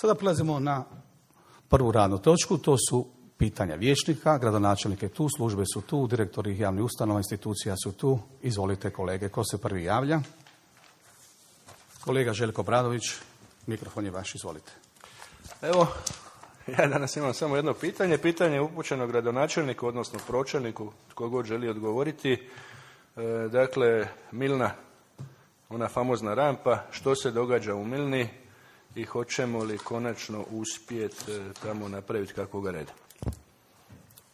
Sada prelazimo na prvu radnu točku, to su pitanja vijećnika. Gradonačelnik je tu, službe su tu, direktori javnih ustanova, institucija su tu. Izvolite kolege, ko se prvi javlja? Kolega Željko Obradović, mikrofon je vaš, izvolite. Evo, ja danas imam samo jedno pitanje. Pitanje je upućeno gradonačelniku, odnosno pročelniku, tko god želi odgovoriti. Dakle, Milna, ona famozna rampa, što se događa u Milni i hoćemo li konačno uspjeti tamo napraviti kakvoga reda?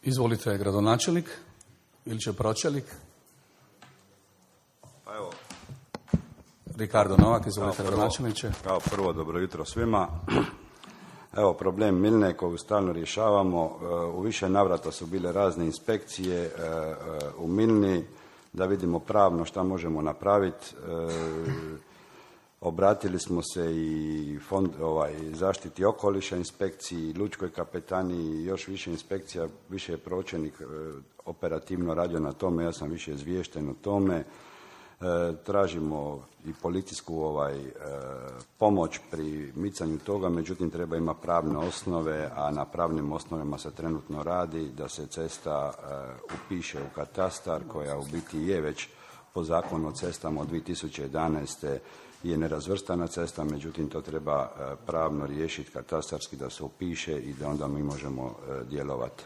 Izvolite gradonačelnik ili će pročelnik? Pa evo, Ricardo Novak, izvolite gradonačelniče. Kao prvo, dobro jutro svima. Evo, problem Milne koju stalno rješavamo. U više navrata su bile razne inspekcije u Milni da vidimo pravno šta možemo napraviti. Obratili smo se i zaštiti okoliša inspekciji, lučkoj kapetaniji i još više inspekcija, više je pročelnik operativno radio na tome, ja sam više izviješten o tome. Tražimo i policijsku pomoć pri micanju toga, međutim treba ima pravne osnove, a na pravnim osnovama se trenutno radi da se cesta upiše u katastar, koja u biti je već po zakonu o cestama od 2011. je nerazvrstana cesta, međutim to treba pravno riješiti katastarski da se upiše i da onda mi možemo djelovati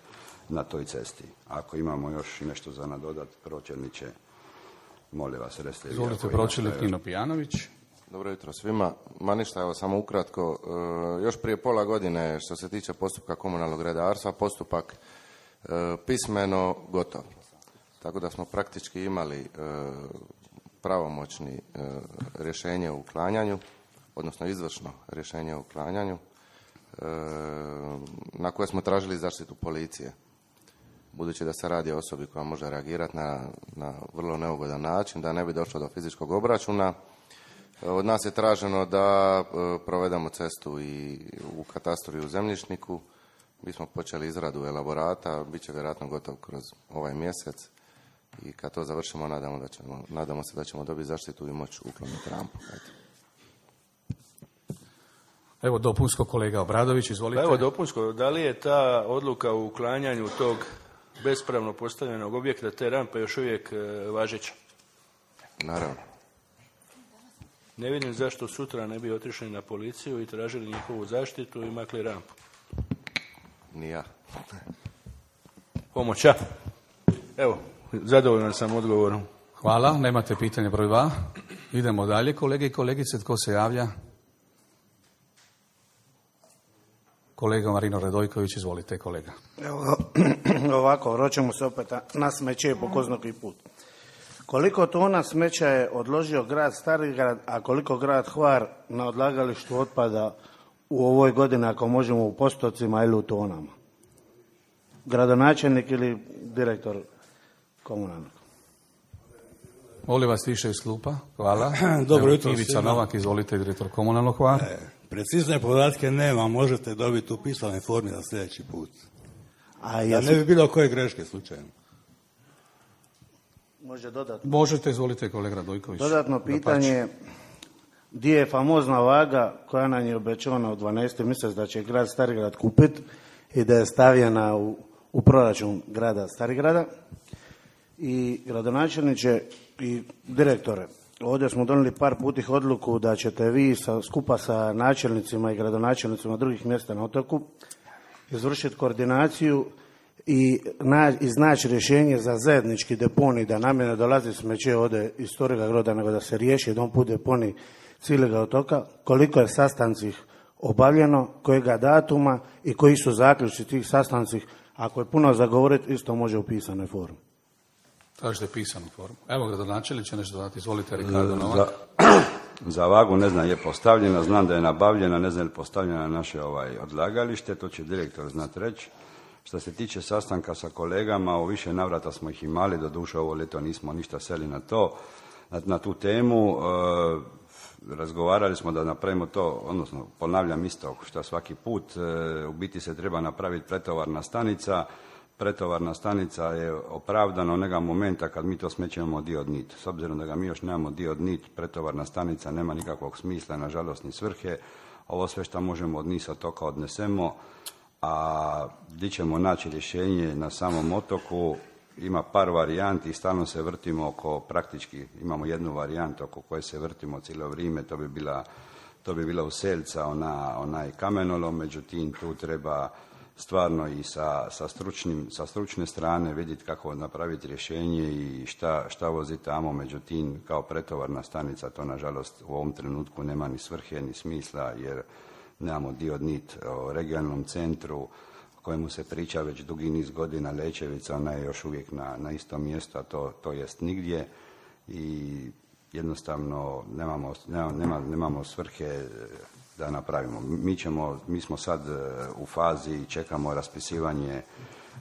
na toj cesti. Ako imamo još nešto za nadodat, pročelniče, molim vas, recite. Izvolite, pročelnik Nino Pijanović. Dobro jutro svima. Ma ništa, evo samo ukratko. Još prije pola godine, što se tiče postupka komunalnog redarstva, postupak pismeno gotov. Tako da smo praktički imali pravomoćni rješenje o uklanjanju, odnosno izvršno rješenje o uklanjanju, na koje smo tražili zaštitu policije. Budući da se radi o osobi koja može reagirati na vrlo neugodan način, da ne bi došlo do fizičkog obračuna. Od nas je traženo da provedemo cestu i u katastru i u zemljišniku. Mi smo počeli izradu elaborata, bit će vjerojatno gotov kroz ovaj mjesec. I kad to završimo, nadamo se da ćemo dobiti zaštitu i moći ukloniti rampu. Evo dopunsko, kolega Obradović, izvolite. Evo dopunsko, da li je ta odluka o uklanjanju tog bespravno postavljenog objekta, te rampe, još uvijek važeća? Naravno. Ne vidim zašto sutra ne bi otišli na policiju i tražili njihovu zaštitu i makli rampu. Ni ja. Pomoća. Evo, zadovoljan sam odgovorom. Hvala, nemate pitanje broj 2. Idemo dalje, kolege i kolegice, tko se javlja? Kolega Marino Radojković, izvolite kolega. Evo, ovako, vraćamo se opet na smeće po ko zna koji put. Koliko tona smeća je odložio grad Starigrad, a koliko grad Hvar na odlagalištu otpada u ovoj godini, ako možemo u postocima ili u tonama? Gradonačelnik ili direktor komunalnog? Molim vas više iz klupa. Hvala. Dobro jutro. Ivica Novak, izvolite, direktor komunalnog Hvar. Precizne podatke nema, možete dobiti u pisanoj formi za sljedeći put. Da ne bi bilo koje greške slučajno. Može dodatno. Možete, izvolite kolega Radojković. Dodatno pitanje, gdje je famozna vaga koja nam je obećana u 12. mjesec da će grad Starigrad kupiti i da je stavljena u proračun grada Starigrada. I gradonačelniče i direktore, ovdje smo donijeli par putih odluku da ćete vi skupa sa načelnicima i gradonačelnicima drugih mjesta na otoku izvršiti koordinaciju i iznaći rješenje za zajednički deponij, da nam ne dolazi smeće ovdje iz Storiga Groda, nego da se riješi jedan put deponij cijelega otoka. Koliko je sastancih obavljeno, kojega datuma i koji su zaključci tih sastancih? Ako je puno zagovoriti, isto može u pisanoj formi. Tražite pisanu formu. Evo gradonačelnik će nešto dodati. Izvolite, Ricardo Novak. Za vagu ne znam je postavljena, znam da je nabavljena, ne znam je li postavljena na naše odlagalište, to će direktor znati reći. Što se tiče sastanka sa kolegama, u više navrata smo ih imali, doduše ovo ljeto nismo ništa seli na tu temu. Razgovarali smo da napravimo to, odnosno ponavljam isto što svaki put, u biti se treba napraviti pretovarna stanica. Pretovarna stanica je opravdana onoga momenta kad mi to smeće imamo dio od nit. S obzirom da ga mi još nemamo dio od nit, pretovarna stanica nema nikakvog smisla, nažalost ni svrhe. ovo sve što možemo od niza toka odnesemo, a gdje ćemo naći rješenje na samom otoku, ima par varijanti i stalno se vrtimo oko, praktički imamo jednu varijantu oko koje se vrtimo cijelo vrijeme, to bi bila Uselca, onaj kamenolom, međutim tu treba stvarno i sa stručne strane vidjeti kako napraviti rješenje i šta voziti tamo, međutim kao pretovarna stanica to nažalost u ovom trenutku nema ni svrhe ni smisla jer nemamo dio nit o regionalnom centru o kojemu se priča već dugi niz godina, Lećevica, ona je još uvijek na istom mjestu, a to jest nigdje i jednostavno nemamo svrhe da napravimo. Mi smo sad u fazi i čekamo raspisivanje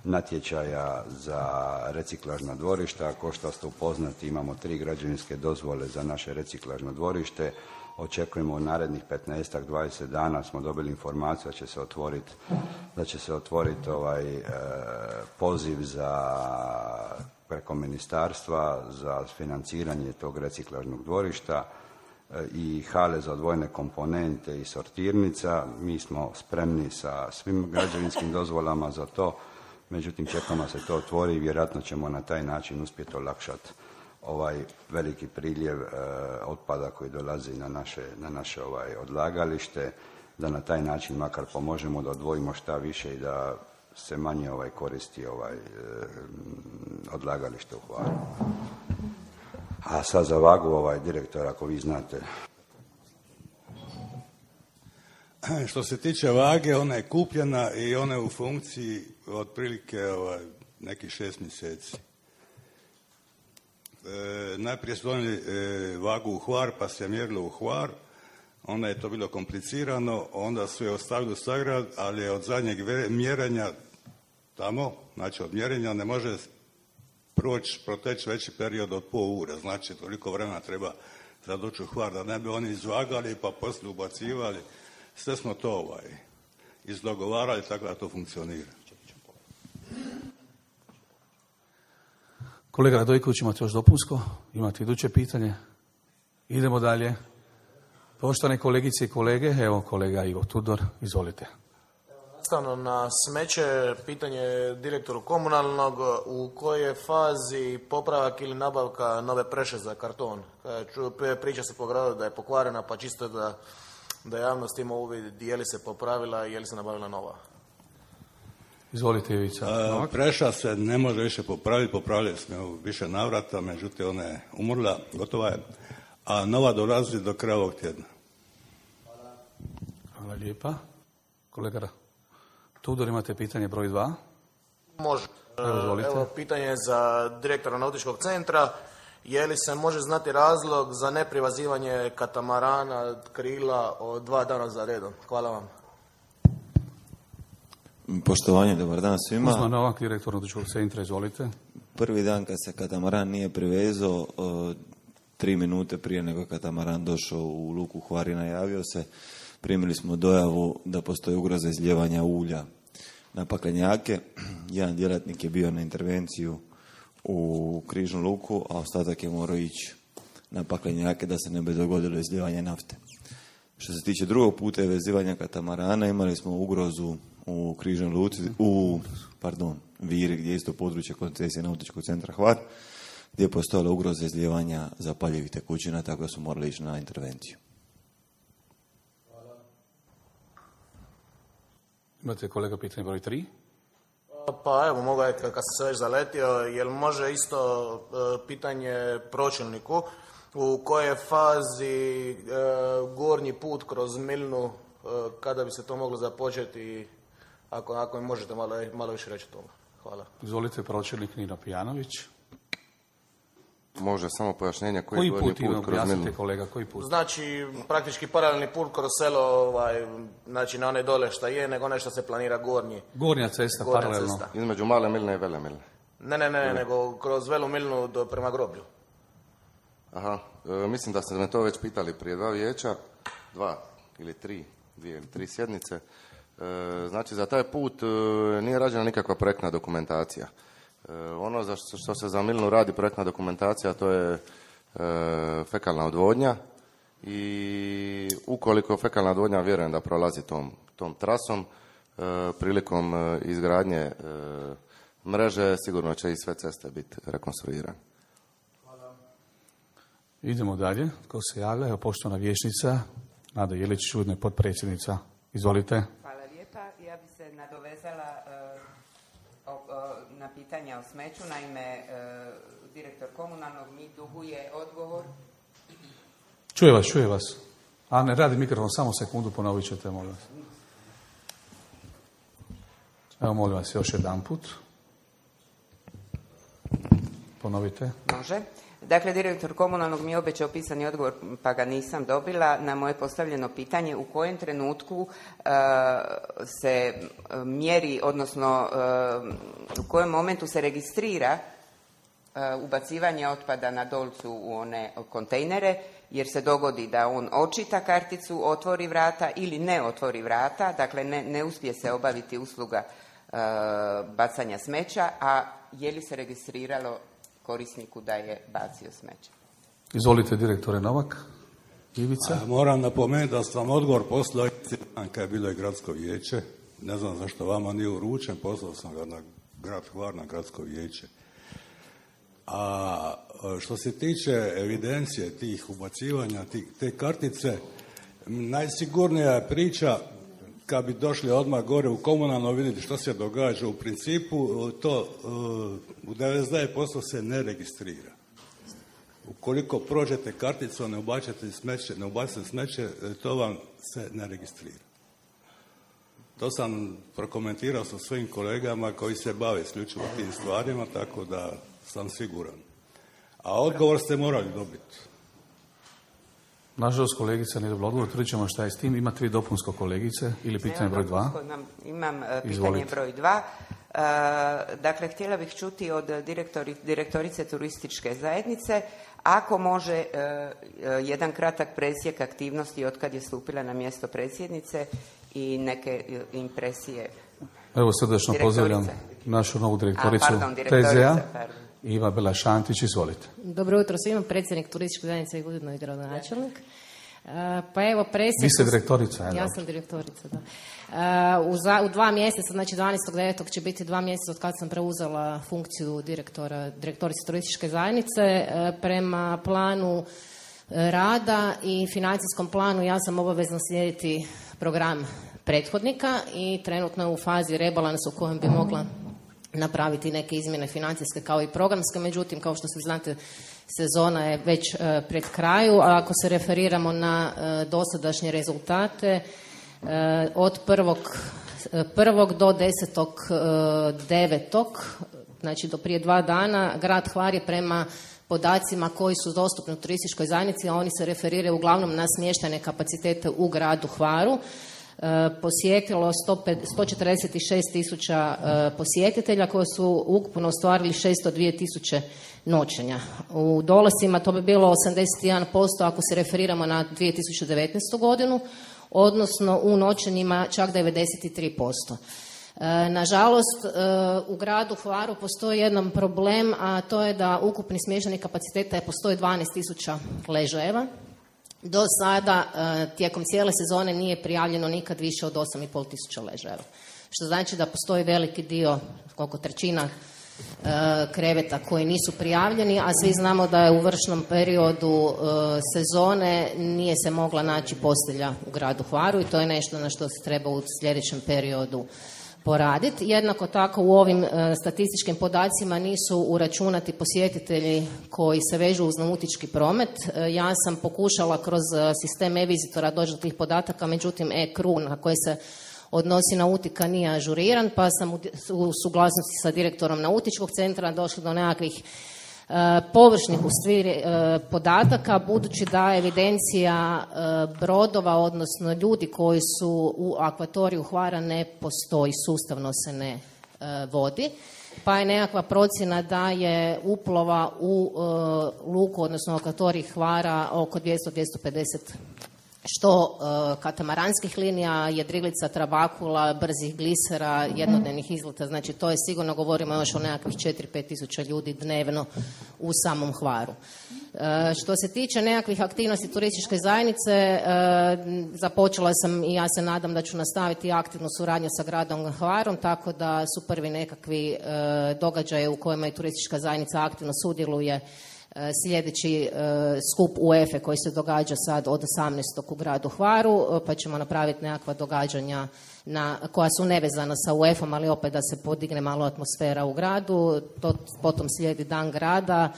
natječaja za reciklažna dvorišta. Kao što ste upoznati, imamo 3 građevinske dozvole za naše reciklažno dvorište. Očekujemo u narednih 15-20 dana smo dobili informaciju da će se otvoriti poziv preko ministarstva za financiranje tog reciklažnog dvorišta i hale za odvojene komponente i sortirnica. Mi smo spremni sa svim građevinskim dozvolama za to, međutim čekamo se to otvori i vjerojatno ćemo na taj način uspjeti olakšati ovaj veliki priljev otpada koji dolazi na naše odlagalište, da na taj način makar pomožemo da odvojimo šta više i da se manje koristi odlagalište u Hvaru. A sad za vagu direktor, ako vi znate. Što se tiče vage, ona je kupljena i ona je u funkciji otprilike nekih 6 mjeseci. Najprije su donijeli vagu u Hvar, pa se je mjerilo u Hvar, onda je to bilo komplicirano, onda su je ostavili u Stagrad, ali od zadnjeg mjerenja tamo, znači od mjerenja ne može proteći veći period od pol ure, znači toliko vremena treba za doći u Hvar, da ne bi oni izvagali pa poslije ubacivali. Sve smo to izdogovarali tako da to funkcionira. Kolega Radojković, imate još dopunsko? Imate iduće pitanje? Idemo dalje. Poštovane kolegice i kolege, evo kolega Ivo Tudor, izvolite. Nastavno na smeće, pitanje direktoru komunalnog, u kojoj je fazi popravak ili nabavka nove preše za karton? Priča se po gradu da je pokvarena, pa čisto da javnost ima uvid je li se popravila i je li se nabavila nova. Izvolite, Ivica. Preša se ne može više popraviti, popravili smo u više navrata, međutim ona je umrla, gotova je, a nova dolazi do kraja ovog tjedna. Hvala lijepa. Kolega Tudor, imate pitanje broj 2? Može. Izvolite. Evo pitanje za direktora nautičkog centra. Je li se može znati razlog za neprivazivanje katamarana krila od 2 dana za redom? Hvala vam. Poštovanje, dobar dan svima. Uzman Novak, direktor nautičkog centra, izvolite. Prvi dan kad se katamaran nije privezao, 3 minute prije nego je katamaran došao u luku Hvar i najavio se, primili smo dojavu da postoji ugroza izlijevanja ulja na paklenjake. Jedan djelatnik je bio na intervenciju u Križnu luku, a ostatak je morao ići na paklenjake da se ne bi dogodilo izlijevanje nafte. Što se tiče drugog puta vezivanja katamarana, imali smo ugrozu u Križnoj luci, Viri, gdje je isto područje koncesije nautičkog centra Hvar, gdje je postojala ugroza izlijevanja zapaljivih tekućina, tako da smo morali ići na intervenciju. Imate, kolega, pitanje broj 3? Pa evo, mogu kad sam se već zaletio, jel može isto pitanje pročelniku, u kojoj je fazi gornji put kroz Milnu, kada bi se to moglo započeti, ako mi možete malo više reći o toga. Hvala. Izvolite, pročelnik Nino Pijanović. Može samo pojašnjenje koji put kroz Milnu? Kolega, koji put? Znači, praktički paralelni put kroz selo, znači na one dole šta je, nego nešto se planira gornji. Gornja cesta, paralelno. Cesta. Između Male Milne i Vele Milne. Ne, nego kroz Velu Milnu prema groblju. Aha, mislim da ste me to već pitali prije 2 vijeća, 2 ili 3 sjednice. Znači, za taj put nije rađena nikakva projektna dokumentacija. Ono za što se za Milnu radi projektna dokumentacija, to je fekalna odvodnja i ukoliko fekalna odvodnja, vjerujem da prolazi tom trasom, prilikom izgradnje mreže sigurno će i sve ceste biti rekonstruirane. Idemo dalje. Ko se javlja? Evo, poštovana vijećnica Nada Jelić, ujedno potpredsjednica. Izvolite. Hvala lijepa. Ja bi se nadovezala na pitanja o smeću. Naime, direktor komunalnog mi duguje odgovor. Čuje vas. A ne radi mikrofon, samo sekundu, ponovit ćete, molim vas. Evo, molim vas, još jedan put. Ponovite. Može. Dakle, direktor komunalnog mi je obećao pisani odgovor, pa ga nisam dobila na moje postavljeno pitanje u kojem trenutku se mjeri, odnosno u kojem momentu se registrira ubacivanje otpada na Dolcu u one kontejnere, jer se dogodi da on očita karticu, otvori vrata ili ne otvori vrata, dakle ne uspije se obaviti usluga bacanja smeća, a je li se registriralo korisniku da je bacio smeće? Izvolite, direktore Novak. Ivica. Moram napomenuti da sam odgovor poslao kad je bilo i gradsko vijeće. Ne znam zašto vama nije uručen, poslao sam ga na grad Hvar, na gradsko vijeće. A što se tiče evidencije tih ubacivanja, te kartice, najsigurnija je priča kad bi došli odmah gore u komunalno vidjeti što se događa. U principu to u 99% se ne registrira. Ukoliko prođete karticu, ne ubacite smeće, to vam se ne registrira. To sam prokomentirao sa svojim kolegama koji se bave isključivo tim stvarima, tako da sam siguran. A odgovor ste morali dobiti. Nažalost, kolegica nije dobila odgovor, tvrdit ćemo šta je s tim. Ima 3 dopunsko kolegice ili pitanje broj 2? Imam pitanje broj 2. Dakle, htjela bih čuti od direktorice turističke zajednice ako može jedan kratak presjek aktivnosti od kad je stupila na mjesto predsjednice i neke impresije. Evo, srdečno pozdravljam našu novu direktoricu TZ-a. Iva Bela-Šantić, izvolite. Dobro jutro svima, predsjednik turističke zajednice i ujedno i gradonačelnik. Pa evo, presjek... Vi ste direktorica, ja sam direktorica, da. U 2 mjeseca, znači 12.9. će biti 2 mjeseca od kad sam preuzela funkciju direktorice turističke zajednice. Prema planu rada i financijskom planu ja sam obavezna slijediti program prethodnika i trenutno je u fazi rebalansa u kojem bi mogla napraviti neke izmjene financijske kao i programske, međutim, kao što se znate, sezona je već pred kraju, a ako se referiramo na dosadašnje rezultate, od 1. do 10.9., znači do prije 2 dana, grad Hvar je prema podacima koji su dostupni u turističkoj zajednici, a oni se referiraju uglavnom na smještajne kapacitete u gradu Hvaru, posjetilo 146.000 posjetitelja koji su ukupno ostvarili 602.000 noćenja. U dolascima to bi bilo 81% ako se referiramo na 2019. godinu, odnosno u noćenjima čak 93%. Nažalost, u gradu Hvaru postoji jedan problem, a to je da ukupni smještajnih kapaciteta postoji 12.000 ležajeva. Do sada, tijekom cijele sezone, nije prijavljeno nikad više od 8.500 ležajeva. Što znači da postoji veliki dio, koliko trećina kreveta koji nisu prijavljeni, a svi znamo da je u vršnom periodu sezone nije se mogla naći postelja u gradu Hvaru i to je nešto na što se treba u sljedećem periodu poraditi. Jednako tako u ovim statističkim podacima nisu uračunati posjetitelji koji se vežu uz nautički promet. Ja sam pokušala kroz sistem e-vizitora doći do tih podataka, međutim e-kru na koji se odnosi nautika nije ažuriran, pa sam u suglasnosti sa direktorom nautičkog centra došla do nekakvih površnih podataka, budući da evidencija brodova, odnosno ljudi koji su u akvatoriju Hvara ne postoji, sustavno se ne vodi, pa je nekakva procjena da je uplova u luku, odnosno akvatorij Hvara oko 200-250 što katamaranskih linija, jedrilica, trabakula, brzih glisera, jednodnevnih izleta, znači to je sigurno, govorimo još o nekakvih 4-5 tisuća ljudi dnevno u samom Hvaru. Što se tiče nekakvih aktivnosti turističke zajednice, započela sam i ja se nadam da ću nastaviti aktivnu suradnju sa gradom Hvarom, tako da su prvi nekakvi događaje u kojima i turistička zajednica aktivno sudjeluje sljedeći skup UEFA koji se događa sad od 18. u gradu Hvaru, pa ćemo napraviti nekakva događanja koja su nevezana sa UEFA-om, ali opet da se podigne malo atmosfera u gradu. Potom slijedi Dan grada,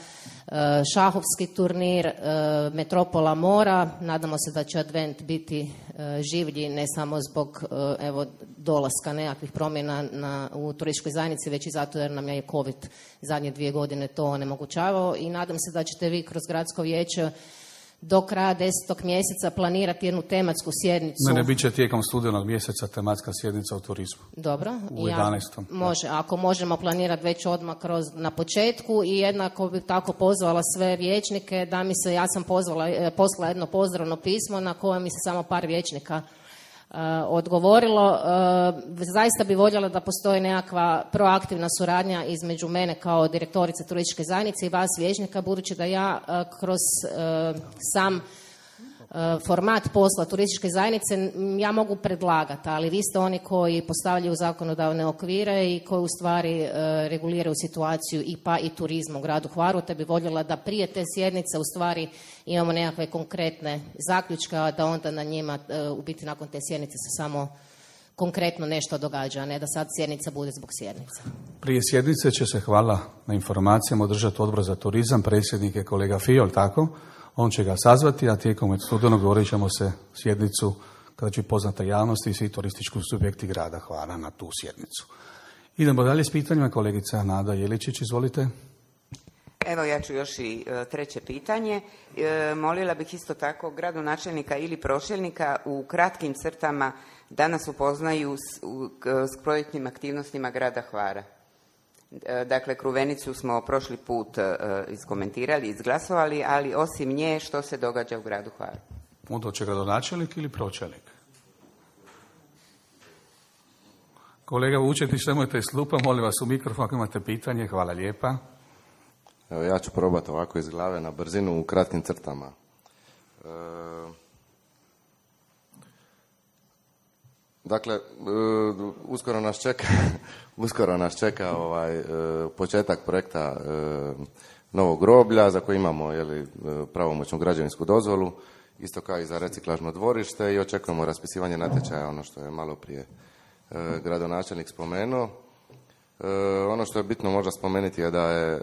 šahovski turnir, Metropola mora. Nadamo se da će Advent biti življi ne samo zbog dolaska nekakvih promjena u turističkoj zajednici, već i zato jer nam je COVID zadnje 2 godine to onemogućavao, i nadam se da ćete vi kroz gradsko vijeće do kraja 10. mjeseca planirati jednu tematsku sjednicu. Ne, bit će tijekom studenog mjeseca tematska sjednica o turizmu. Dobro. U 11. Može, ako možemo planirati već odmah na početku, i jednako bih tako pozvala sve vijećnike da mi se, ja sam poslala jedno pozdravno pismo na koje mi se samo par vijećnika odgovorilo. Zaista bi voljela da postoji nekakva proaktivna suradnja između mene kao direktorice turističke zajednice i vas vijećnika, budući da ja kroz sam format posla turističke zajednice ja mogu predlagati, ali vi ste oni koji postavljaju zakonodavne okvire i koji u stvari reguliraju situaciju i turizma u gradu Hvaru, te bi voljela da prije te sjednice u stvari imamo nekakve konkretne zaključke, a da onda na njima u biti nakon te sjednice se samo konkretno nešto događa, a ne da sad sjednica bude zbog sjednice. Prije sjednice će se, hvala na informacijama, održati Odbor za turizam, predsjednik je kolega Fiol, tako? On će ga sazvati, a tijekom studenog govorit ćemo se sjednicu kada će poznata javnosti i svi turistički subjekti grada Hvara na tu sjednicu. Idemo dalje s pitanjima. Kolegica Nada Jeličić, izvolite. Evo, ja ću još i treće pitanje. Molila bih isto tako gradonačelnika ili pročelnika u kratkim crtama da nas upoznaju s projektnim aktivnostima grada Hvara. Dakle, Kruvenicu smo prošli put iskomentirali, izglasovali, ali osim nje što se događa u gradu Hvaru? Onda će gradonačelnik ili pročelnik? Kolega Vučetić, nemojte slupa, molim vas u mikrofon ako imate pitanje. Hvala lijepa. Evo, ja ću probati ovako iz glave na brzinu u kratkim crtama. Dakle, uskoro nas čeka početak projekta novog groblja za koji imamo pravomoćnu građevinsku dozvolu, isto kao i za reciklažno dvorište, i očekujemo raspisivanje natječaja, ono što je malo prije gradonačelnik spomenuo. Ono što je bitno možda spomenuti je da je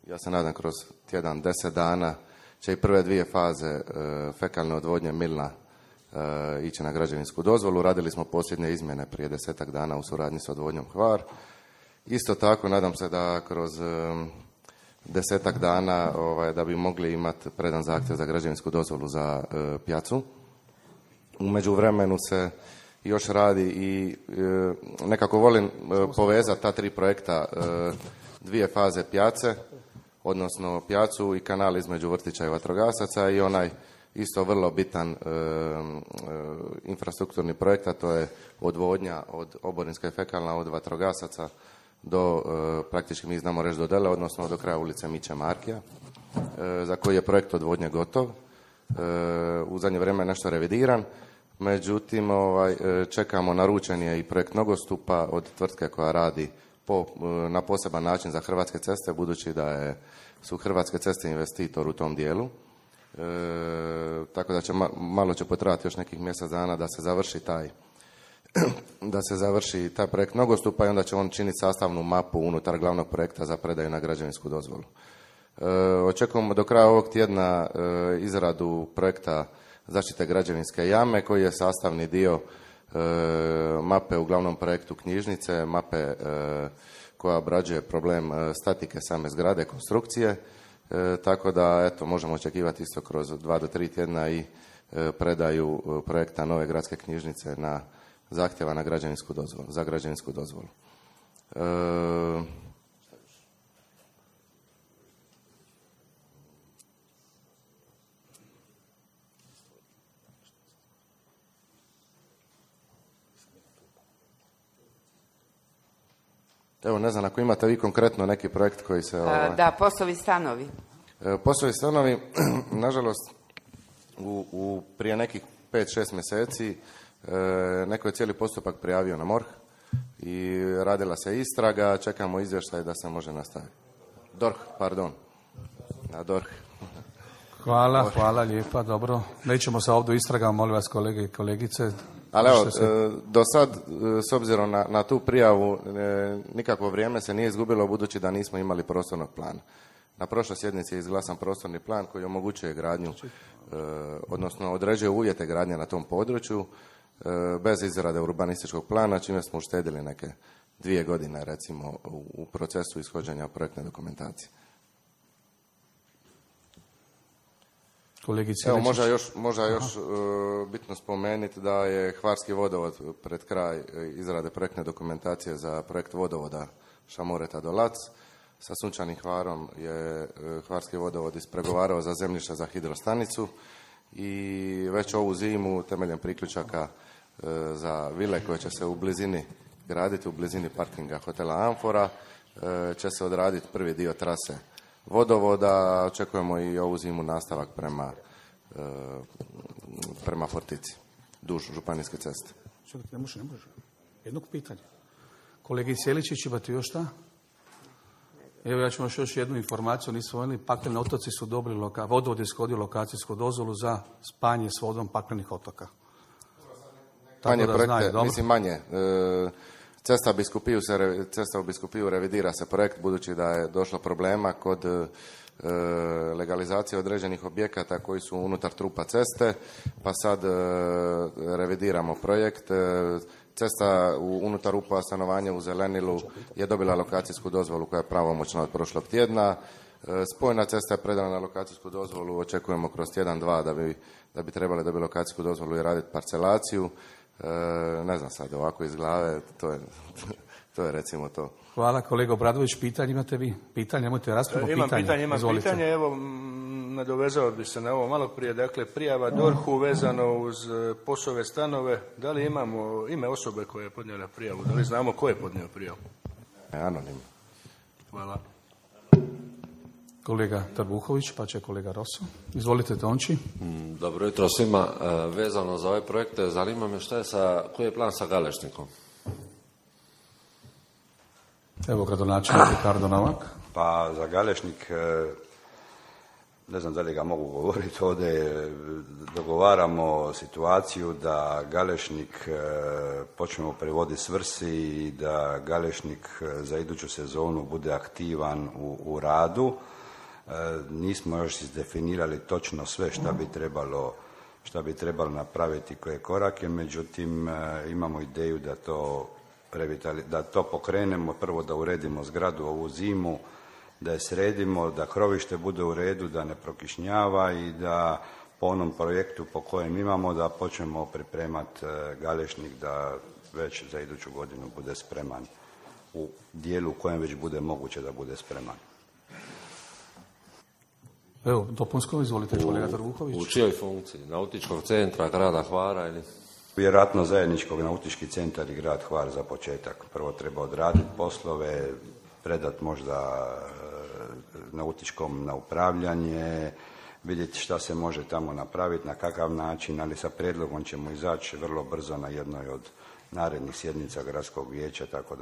ja se nadam kroz tjedan, 10 dana će i prve 2 faze fekalne odvodnje Milna ići na građevinsku dozvolu. Radili smo posljednje izmjene prije 10 dana u suradnji s odvodnjom Hvar. Isto tako nadam se da kroz 10 dana da bi mogli imati predan zahtjev za građevinsku dozvolu za Pjacu. U međuvremenu se još radi i nekako volim povezati ta 3 projekta, 2 faze Pjace, odnosno Pjacu i kanal između vrtića i vatrogasaca, i onaj isto vrlo bitan infrastrukturni projekt, a to je odvodnja od oborinska i fekalna od vatrogasaca do praktički mi znamo reći do Dele, odnosno do kraja ulice Miće Markija, za koji je projekt odvodnje gotov. U zadnje vrijeme je nešto revidiran, međutim čekamo, naručen je i projekt nogostupa od tvrtke koja radi na poseban način za Hrvatske ceste, budući da su Hrvatske ceste investitor u tom dijelu. Tako da će malo će potrajati još nekih mjesec dana da se završi taj projekt nogostupa, i onda će on činiti sastavnu mapu unutar glavnog projekta za predaju na građevinsku dozvolu. Očekujemo do kraja ovog tjedna izradu projekta zaštite građevinske jame, koji je sastavni dio mape u glavnom projektu knjižnice, mape koja obrađuje problem statike same zgrade, konstrukcije. Tako da, možemo očekivati isto kroz 2 do 3 tjedna i predaju projekta nove gradske knjižnice na zahtjeva na za građevinsku dozvolu. Evo, ne znam, ako imate vi konkretno neki projekt koji se... Da, POS-ovi stanovi. POS-ovi stanovi, nažalost, prije nekih 5-6 mjeseci neko je cijeli postupak prijavio na MORH i radila se istraga, čekamo izvještaj da se može nastaviti. Na DORH. Hvala lijepa, dobro. Nećemo se ovdje istragama, molim vas kolege i kolegice. Ali evo, do sad, s obzirom na tu prijavu, nikakvo vrijeme se nije izgubilo budući da nismo imali prostornog plana. Na prošloj sjednici je izglasan prostorni plan koji omogućuje gradnju, odnosno određuje uvjete gradnje na tom području, bez izrade urbanističkog plana, čime smo uštedili neke 2 godine, recimo, u procesu ishođenja projektne dokumentacije. Evo, možda još bitno spomenuti da je Hvarski vodovod pred kraj izrade projektne dokumentacije za projekt vodovoda Šamoreta do Lac. Sa Sunčanim Hvarom je Hvarski vodovod ispregovarao za zemljište za hidrostanicu i već ovu zimu temeljem priključaka za vile koje će se u blizini graditi, u blizini parkinga hotela Amfora, će se odraditi prvi dio trase vodovoda. Očekujemo i ovu zimu nastavak prema Fortici, duž županijske ceste. Ne može. Jednog pitanja. Kolegi Sjeličić, imate još šta? Evo, ja ću još jednu informaciju. Pakleni otoci su dobili, vodovod je ishodio lokacijsku dozvolu za spajanje s vodom paklenih otoka. Manje projekte, mislim manje. Cesta u Biskupiju revidira se projekt budući da je došlo problema kod legalizacije određenih objekata koji su unutar trupa ceste, pa sad revidiramo projekt. Cesta unutar rupa stanovanja u Zelenilu je dobila lokacijsku dozvolu koja je pravomoćna od prošlog tjedna. Spojna cesta je predana na lokacijsku dozvolu, očekujemo kroz tjedan, dva da bi trebali dobiti lokacijsku dozvolu i raditi parcelaciju. Ne znam sad, ovako iz glave, to je recimo to. Hvala, kolega Obradović. Pitanje imate vi? Pitanje, imate raspravu? Imam pitanje, evo, nadovezao bi se na ovo malo prije. Dakle, prijava DORH-u vezano uz POS-ove stanove. Da li imamo ime osobe koja je podnijela prijavu? Da li znamo ko je podnio prijavu? Anonim. Hvala. Kolega Trbuhović, pa će kolega Rosso. Izvolite, Tonči. Dobro jutro svima. Vezano za ove projekte, zanima me koji je plan sa Galešnikom? Evo, gradonačelnik Ricardo Novak. Pa za Galešnik, ne znam da li ga mogu govoriti ovdje, dogovaramo situaciju da Galešnik počnemo prevoditi svrsi i da Galešnik za iduću sezonu bude aktivan u radu. Nismo još izdefinirali točno sve šta bi trebalo napraviti, koje korake, međutim imamo ideju da to pokrenemo, prvo da uredimo zgradu ovu zimu, da je sredimo, da krovište bude u redu, da ne prokišnjava i da po onom projektu po kojem imamo da počnemo pripremati Galešnik da već za iduću godinu bude spreman u dijelu u kojem već bude moguće da bude spreman. Evo, dopunsko, izvolite kolega Trbuhović. U čijoj funkciji? Nautičkog centra grada Hvara ili? Vjerojatno zajedničkog nautički centar i grad Hvar za početak. Prvo treba odraditi poslove, predati možda nautičkom na upravljanje, vidjeti šta se može tamo napraviti, na kakav način, ali sa prijedlogom ćemo izaći vrlo brzo na jednoj od narednih sjednica gradskog vijeća, tako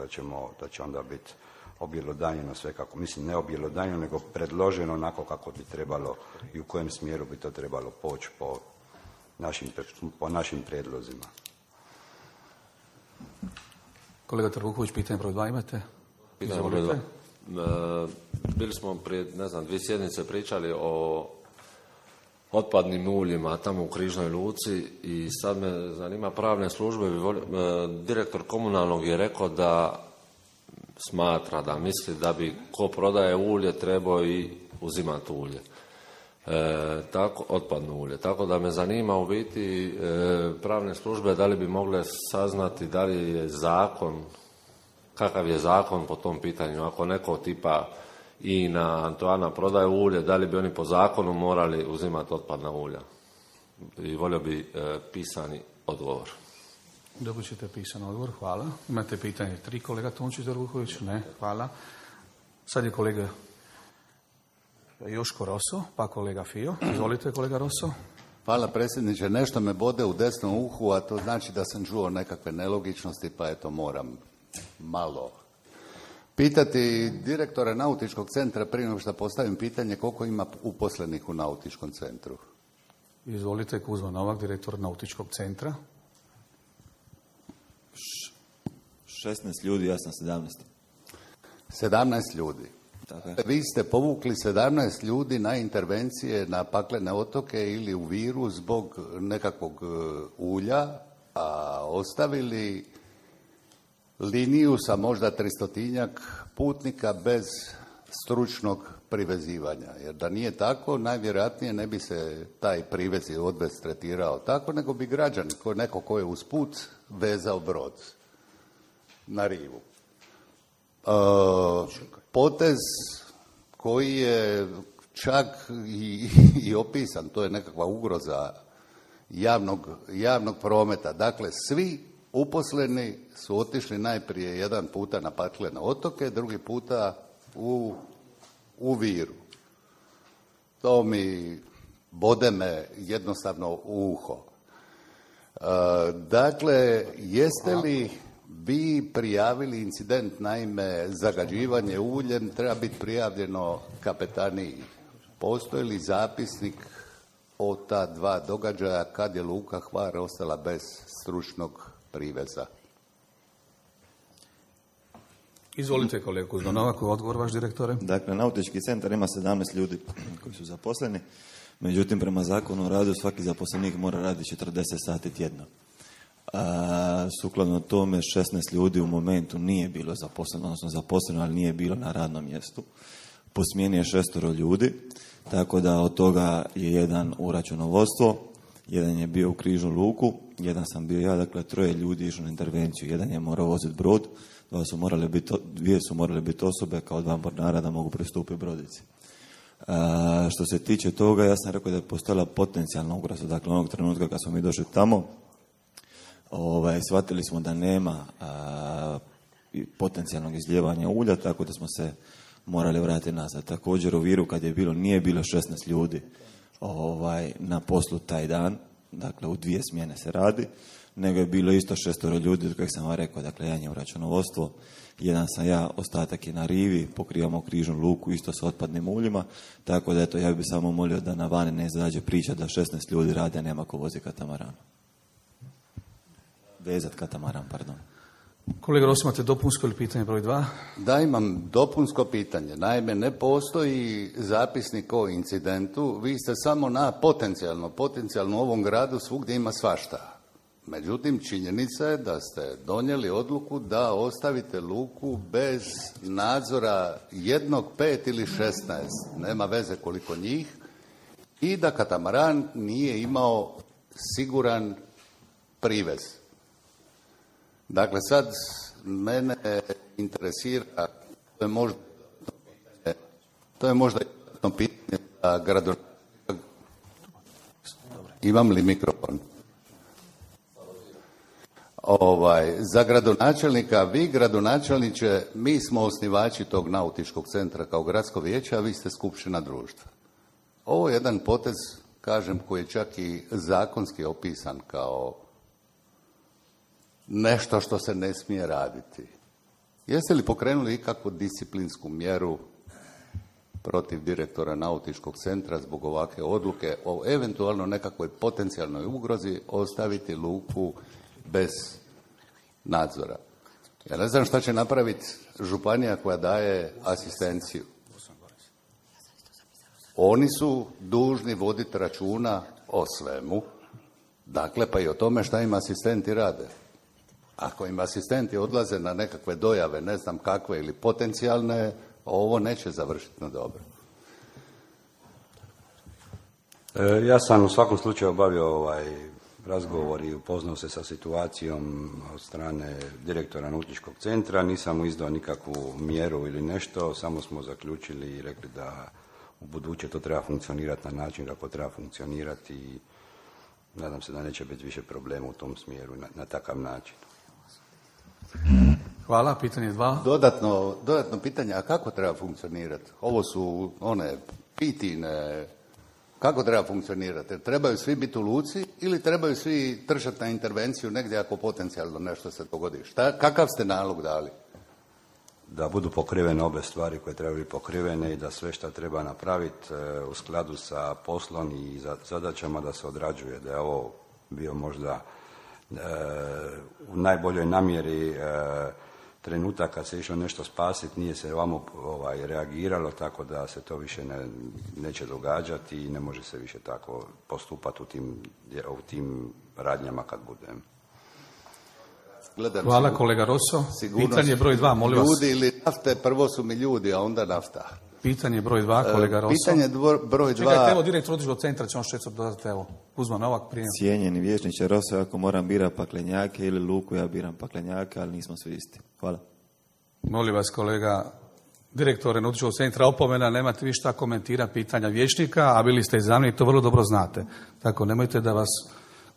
da će onda biti objelodanjeno sve kako, mislim ne objelodanjeno, nego predloženo onako kako bi trebalo i u kojem smjeru bi to trebalo poći po našim prijedlozima. Kolega Trbuhović, pitanje broj 2 imate? Pitanje broj 2. Bili smo prije, 2 sjednice pričali o otpadnim uljima tamo u Križnoj luci i sad me zanima pravne službe. Direktor komunalnog je rekao da smatra, da misli da bi ko prodaje ulje trebao i uzimati ulje. Otpadno ulje. Tako da me zanima u biti pravne službe da li bi mogle saznati da li je zakon, kakav je zakon po tom pitanju. Ako neko tipa INA, Antoana prodaje ulje, da li bi oni po zakonu morali uzimati otpadna ulja? I volio bi pisani odgovor. Dobit ćete pisan odgovor, hvala. Imate pitanje 3, kolega Tončić Trbuhović? Ne, hvala. Sad je kolega Joško Roso, pa kolega Fio. Izvolite, kolega Roso. Hvala predsjedniče. Nešto me bode u desnom uhu, a to znači da sam čuo nekakve nelogičnosti, pa eto moram malo pitati direktora Nautičkog centra prije nego što postavim pitanje koliko ima uposlenih u Nautičkom centru. Izvolite, Kuzma Novak, direktor Nautičkog centra. 16 ljudi, ja sam 17. 17 ljudi. Tako je. Vi ste povukli 17 ljudi na intervencije na paklene otoke ili u Viru zbog nekakvog ulja, a ostavili liniju sa možda 300-tinjak putnika bez stručnog privezivanja. Jer da nije tako, najvjerojatnije ne bi se taj privez i odvez tretirao tako, nego bi građani, neko ko je usput, vezao brod na rivu. Potez koji je čak i opisan, to je nekakva ugroza javnog prometa. Dakle, svi uposleni su otišli najprije jedan puta na paklene otoke, drugi puta u Viru. To mi bode me jednostavno u uho. Dakle, jeste li vi prijavili incident, naime zagađivanje uljem treba biti prijavljeno kapetaniji. Postoji li zapisnik o ta dva događaja kad je Luka Hvar ostala bez stručnog priveza? Izvolite, kolega Kuzma Novak, odgovor vaš, direktore. Dakle, Nautički centar ima 17 ljudi koji su zaposleni, međutim, prema zakonu o radu svaki zaposlenik mora raditi 40 sati tjedno. Sukladno tome 16 ljudi u momentu nije bilo zaposleno, odnosno zaposleno, ali nije bilo na radnom mjestu. Po smjeni je 6 ljudi, tako da od toga je jedan u računovodstvo, jedan je bio u križnu luku, jedan sam bio ja, dakle 3 ljudi išlo na intervenciju, jedan je morao voziti brod, dvije su morale biti osobe kao 2 mornara da mogu pristupiti brodici. Što se tiče toga, ja sam rekao da je postojala potencijalna ugroza, dakle onog trenutka kad smo mi došli tamo, shvatili smo da nema potencijalnog izljevanja ulja, tako da smo se morali vratiti nazad. Također u Viru kad je bilo, nije bilo 16 ljudi na poslu taj dan, dakle u 2 smjene se radi, nego je bilo isto 6 ljudi, od kojeg sam vam rekao, dakle jedan je u računovodstvo, jedan sam ja, ostatak je na rivi, pokrivamo križnu luku isto s otpadnim uljima, tako da eto, ja bih samo molio da na vani ne izađe priča da 16 ljudi rade, a nema ko vozi katamaran. Vezat katamaran, pardon. Kolega Rosi, imate dopunsko ili pitanje broj 2? Da, imam dopunsko pitanje. Naime, ne postoji zapisnik o incidentu, vi ste samo na potencijalno u ovom gradu svugdje ima svašta. Međutim, činjenica je da ste donijeli odluku da ostavite luku bez nadzora 1, 5 ili 16, nema veze koliko njih, i da katamaran nije imao siguran privez. Dakle, sad mene interesira, to je možda jedno pitanje za gradonačelnika. Imam li mikrofon? Za gradonačelnika, vi gradonačelniče, mi smo osnivači tog Nautičkog centra kao gradsko vijeće, a vi ste skupština društva. Ovo je jedan potez, kažem, koji je čak i zakonski opisan kao nešto što se ne smije raditi. Jeste li pokrenuli ikakvu disciplinsku mjeru protiv direktora Nautičkog centra zbog ovakve odluke o eventualno nekakvoj potencijalnoj ugrozi ostaviti luku bez nadzora? Ja ne znam šta će napraviti županija koja daje asistenciju. Oni su dužni voditi računa o svemu, dakle pa i o tome šta im asistenti rade. Ako im asistenti odlaze na nekakve dojave, ne znam kakve ili potencijalne, ovo neće završiti na dobro. Ja sam u svakom slučaju obavio razgovor i upoznao se sa situacijom od strane direktora Nautičkog centra. Nisam mu izdao nikakvu mjeru ili nešto, samo smo zaključili i rekli da u buduće to treba funkcionirati na način kako treba funkcionirati i nadam se da neće biti više problema u tom smjeru na takav način. Hvala, pitanje 2. Dodatno pitanje, a kako treba funkcionirati? Ovo su one pitine, kako treba funkcionirati? Trebaju svi biti u luci ili trebaju svi trčati na intervenciju negdje ako potencijalno nešto se dogodi? Kakav ste nalog dali? Da budu pokrivene obe stvari koje trebaju biti pokrivene i da sve što treba napraviti u skladu sa poslom i zadaćama da se odrađuje. Da je ovo bio možda u najboljoj namjeri trenutak kad se išlo nešto spasiti, nije se ovamo reagiralo, tako da se to više neće događati i ne može se više tako postupati u tim radnjama kad budem. Hvala kolega Rosso. Pitanje broj 2, molim vas. Ljudi ili nafte, prvo su mi ljudi, a onda nafta. Pitanje broj 2, kolega Rosso. Pitanje broj 2. Čekajte, evo direktor Odličkog centra će on što dodati, evo. Kuzma Novak, prijem. Cijenjeni vijećniče Rosso, ako moram birati paklenjake ili Luku, ja biram paklenjake, ali nismo svi isti. Hvala. Molim vas kolega direktore Nautičkog centra, opomena, nemate vi šta komentira pitanja vijećnika, a bili ste i zamjenik, to vrlo dobro znate. Tako, nemojte da vas...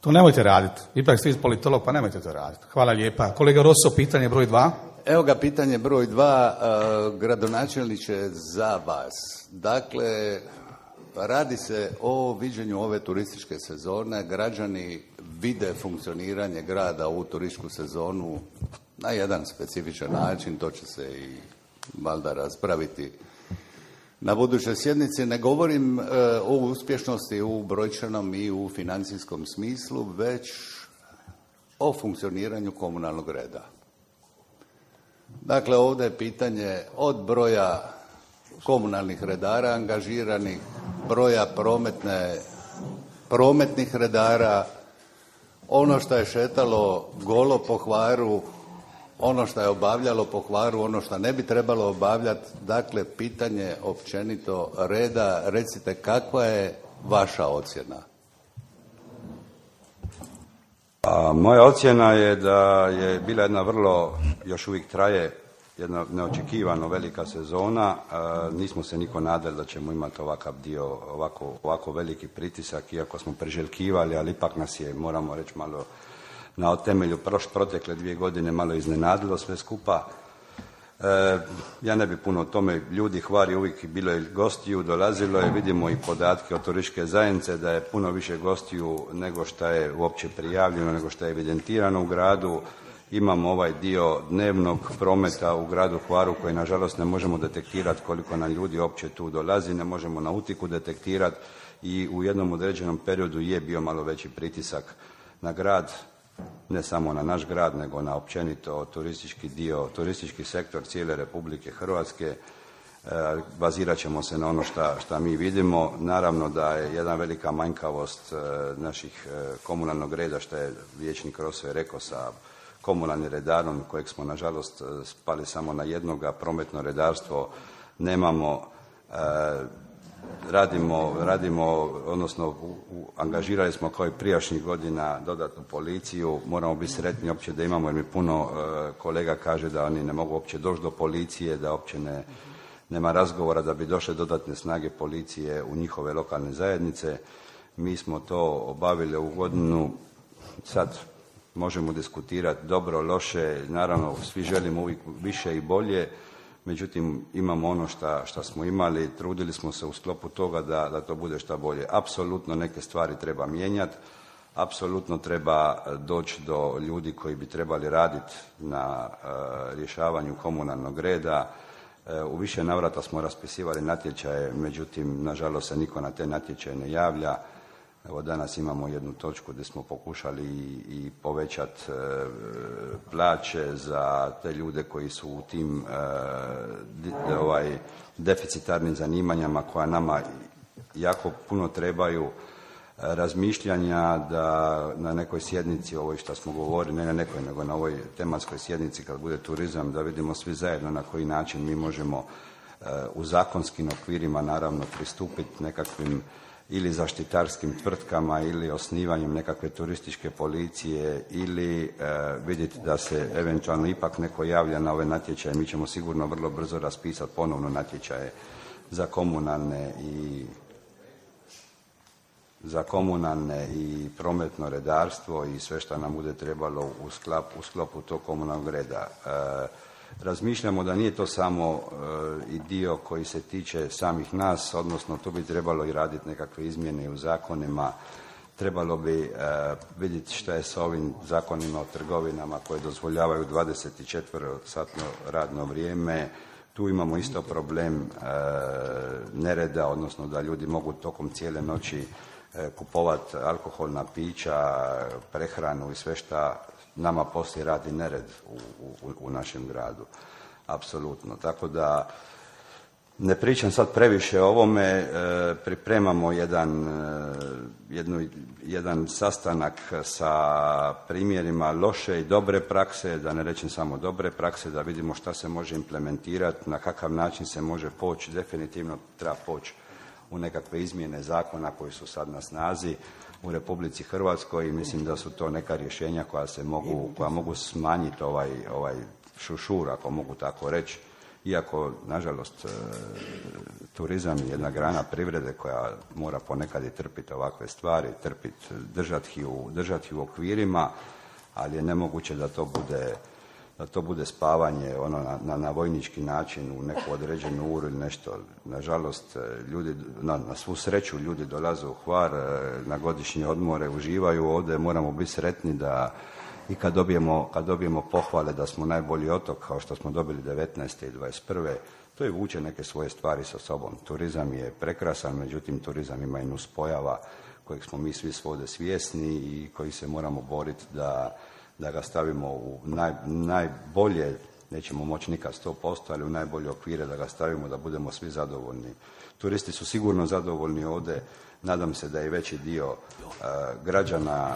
To nemojte raditi. Ipak ste politolog, pa nemojte to raditi. Hvala lijepa. Kolega Rosso, pitanje broj 2. Evo ga, pitanje broj 2, gradonačelniče za vas. Dakle, radi se o viđenju ove turističke sezone. Građani vide funkcioniranje grada u turističku sezonu na jedan specifičan način. To će se i valjda raspraviti na budućoj sjednici. Ne govorim o uspješnosti u brojčanom i u financijskom smislu, već o funkcioniranju komunalnog reda. Dakle, ovdje je pitanje od broja komunalnih redara angažiranih, broja prometnih redara, ono što je šetalo golo po Hvaru, ono što je obavljalo po Hvaru, ono što ne bi trebalo obavljati. Dakle, pitanje općenito reda. Recite, kakva je vaša ocjena? Moja ocjena je da je bila jedna vrlo, još uvijek traje, jedna neočekivano velika sezona. Nismo se niko nadali da ćemo imati ovakav dio, ovako veliki pritisak, iako smo priželjkivali, ali ipak nas je, moramo reći, malo na temelju protekle 2 godine malo iznenadilo sve skupa. Ja ne bi puno o tome, ljudi, Hvar je uvijek bilo i gostiju, dolazilo je, vidimo i podatke od turističke zajednice da je puno više gostiju nego što je uopće prijavljeno, nego što je evidentirano u gradu. Imamo ovaj dio dnevnog prometa u gradu Hvaru koji nažalost ne možemo detektirati koliko nam ljudi uopće tu dolazi, ne možemo nautiku detektirati i u jednom određenom periodu je bio malo veći pritisak na grad, ne samo na naš grad, nego na općenito turistički sektor cijele Republike Hrvatske. Bazirat ćemo se na ono šta mi vidimo. Naravno da je jedna velika manjkavost naših komunalnog reda, što je vijećnik Rosso rekao, sa komunalnim redarom, kojeg smo nažalost spali samo na jednoga. Prometno redarstvo nemamo. Radimo, odnosno angažirali smo kao i prijašnjih godina dodatnu policiju. Moramo biti sretni uopće da imamo, jer mi puno kolega kaže da oni ne mogu uopće doći do policije, da uopće nema razgovora da bi došle dodatne snage policije u njihove lokalne zajednice. Mi smo to obavili u godinu, sad možemo diskutirati dobro, loše, naravno svi želimo uvijek više i bolje. Međutim, imamo ono što smo imali, trudili smo se u sklopu toga da to bude što bolje. Apsolutno neke stvari treba mijenjati, apsolutno treba doći do ljudi koji bi trebali raditi na rješavanju komunalnog reda. U više navrata smo raspisivali natječaje, međutim, nažalost se niko na te natječaje ne javlja. Evo danas imamo jednu točku gdje smo pokušali i povećati plaće za te ljude koji su u tim deficitarnim zanimanjama koja nama jako puno trebaju. Razmišljanja da na nekoj sjednici, ovoj što smo govorili, ne na nekoj, nego na ovoj tematskoj sjednici kad bude turizam, da vidimo svi zajedno na koji način mi možemo u zakonskim okvirima naravno pristupiti nekakvim ili zaštitarskim tvrtkama ili osnivanjem nekakve turističke policije ili vidjeti da se eventualno ipak neko javlja na ove natječaje. Mi ćemo sigurno vrlo brzo raspisati ponovno natječaje za komunalne i za komunalne i prometno redarstvo i sve što nam bude trebalo u sklopu tog komunalnog reda. Razmišljamo da nije to samo i dio koji se tiče samih nas, odnosno tu bi trebalo i raditi nekakve izmjene u zakonima. Trebalo bi vidjeti šta je sa ovim zakonima o trgovinama koje dozvoljavaju 24-satno radno vrijeme. Tu imamo isto problem nereda, odnosno da ljudi mogu tokom cijele noći kupovati alkoholna pića, prehranu i sve šta nama poslije radi nered u našem gradu. Apsolutno. Tako da ne pričam sad previše o ovome, pripremamo jedan sastanak sa primjerima loše i dobre prakse, da ne rečem samo dobre prakse, da vidimo šta se može implementirati, na kakav način se može poći, definitivno treba poći u nekakve izmjene zakona koji su sad na snazi u Republici Hrvatskoj i mislim da su to neka rješenja koja mogu smanjiti ovaj šušur, ako mogu tako reći. Iako, nažalost, turizam je jedna grana privrede koja mora ponekad i trpiti ovakve stvari, držati u okvirima, ali je nemoguće da to bude spavanje na vojnički način u neku određenu uru ili nešto. Nažalost, ljudi, na svu sreću ljudi dolaze u Hvar na godišnje odmore, uživaju ovdje, moramo biti sretni da i kad dobijemo pohvale da smo najbolji otok, kao što smo dobili 19. i 21. to i vuče neke svoje stvari sa sobom. Turizam je prekrasan, međutim turizam ima i nuspojava kojeg smo mi svi svode svjesni i koji se moramo boriti da ga stavimo u najbolje, nećemo moći nikad 100%, ali u najbolje okvire da ga stavimo, da budemo svi zadovoljni. Turisti su sigurno zadovoljni ovdje, nadam se da je veći dio građana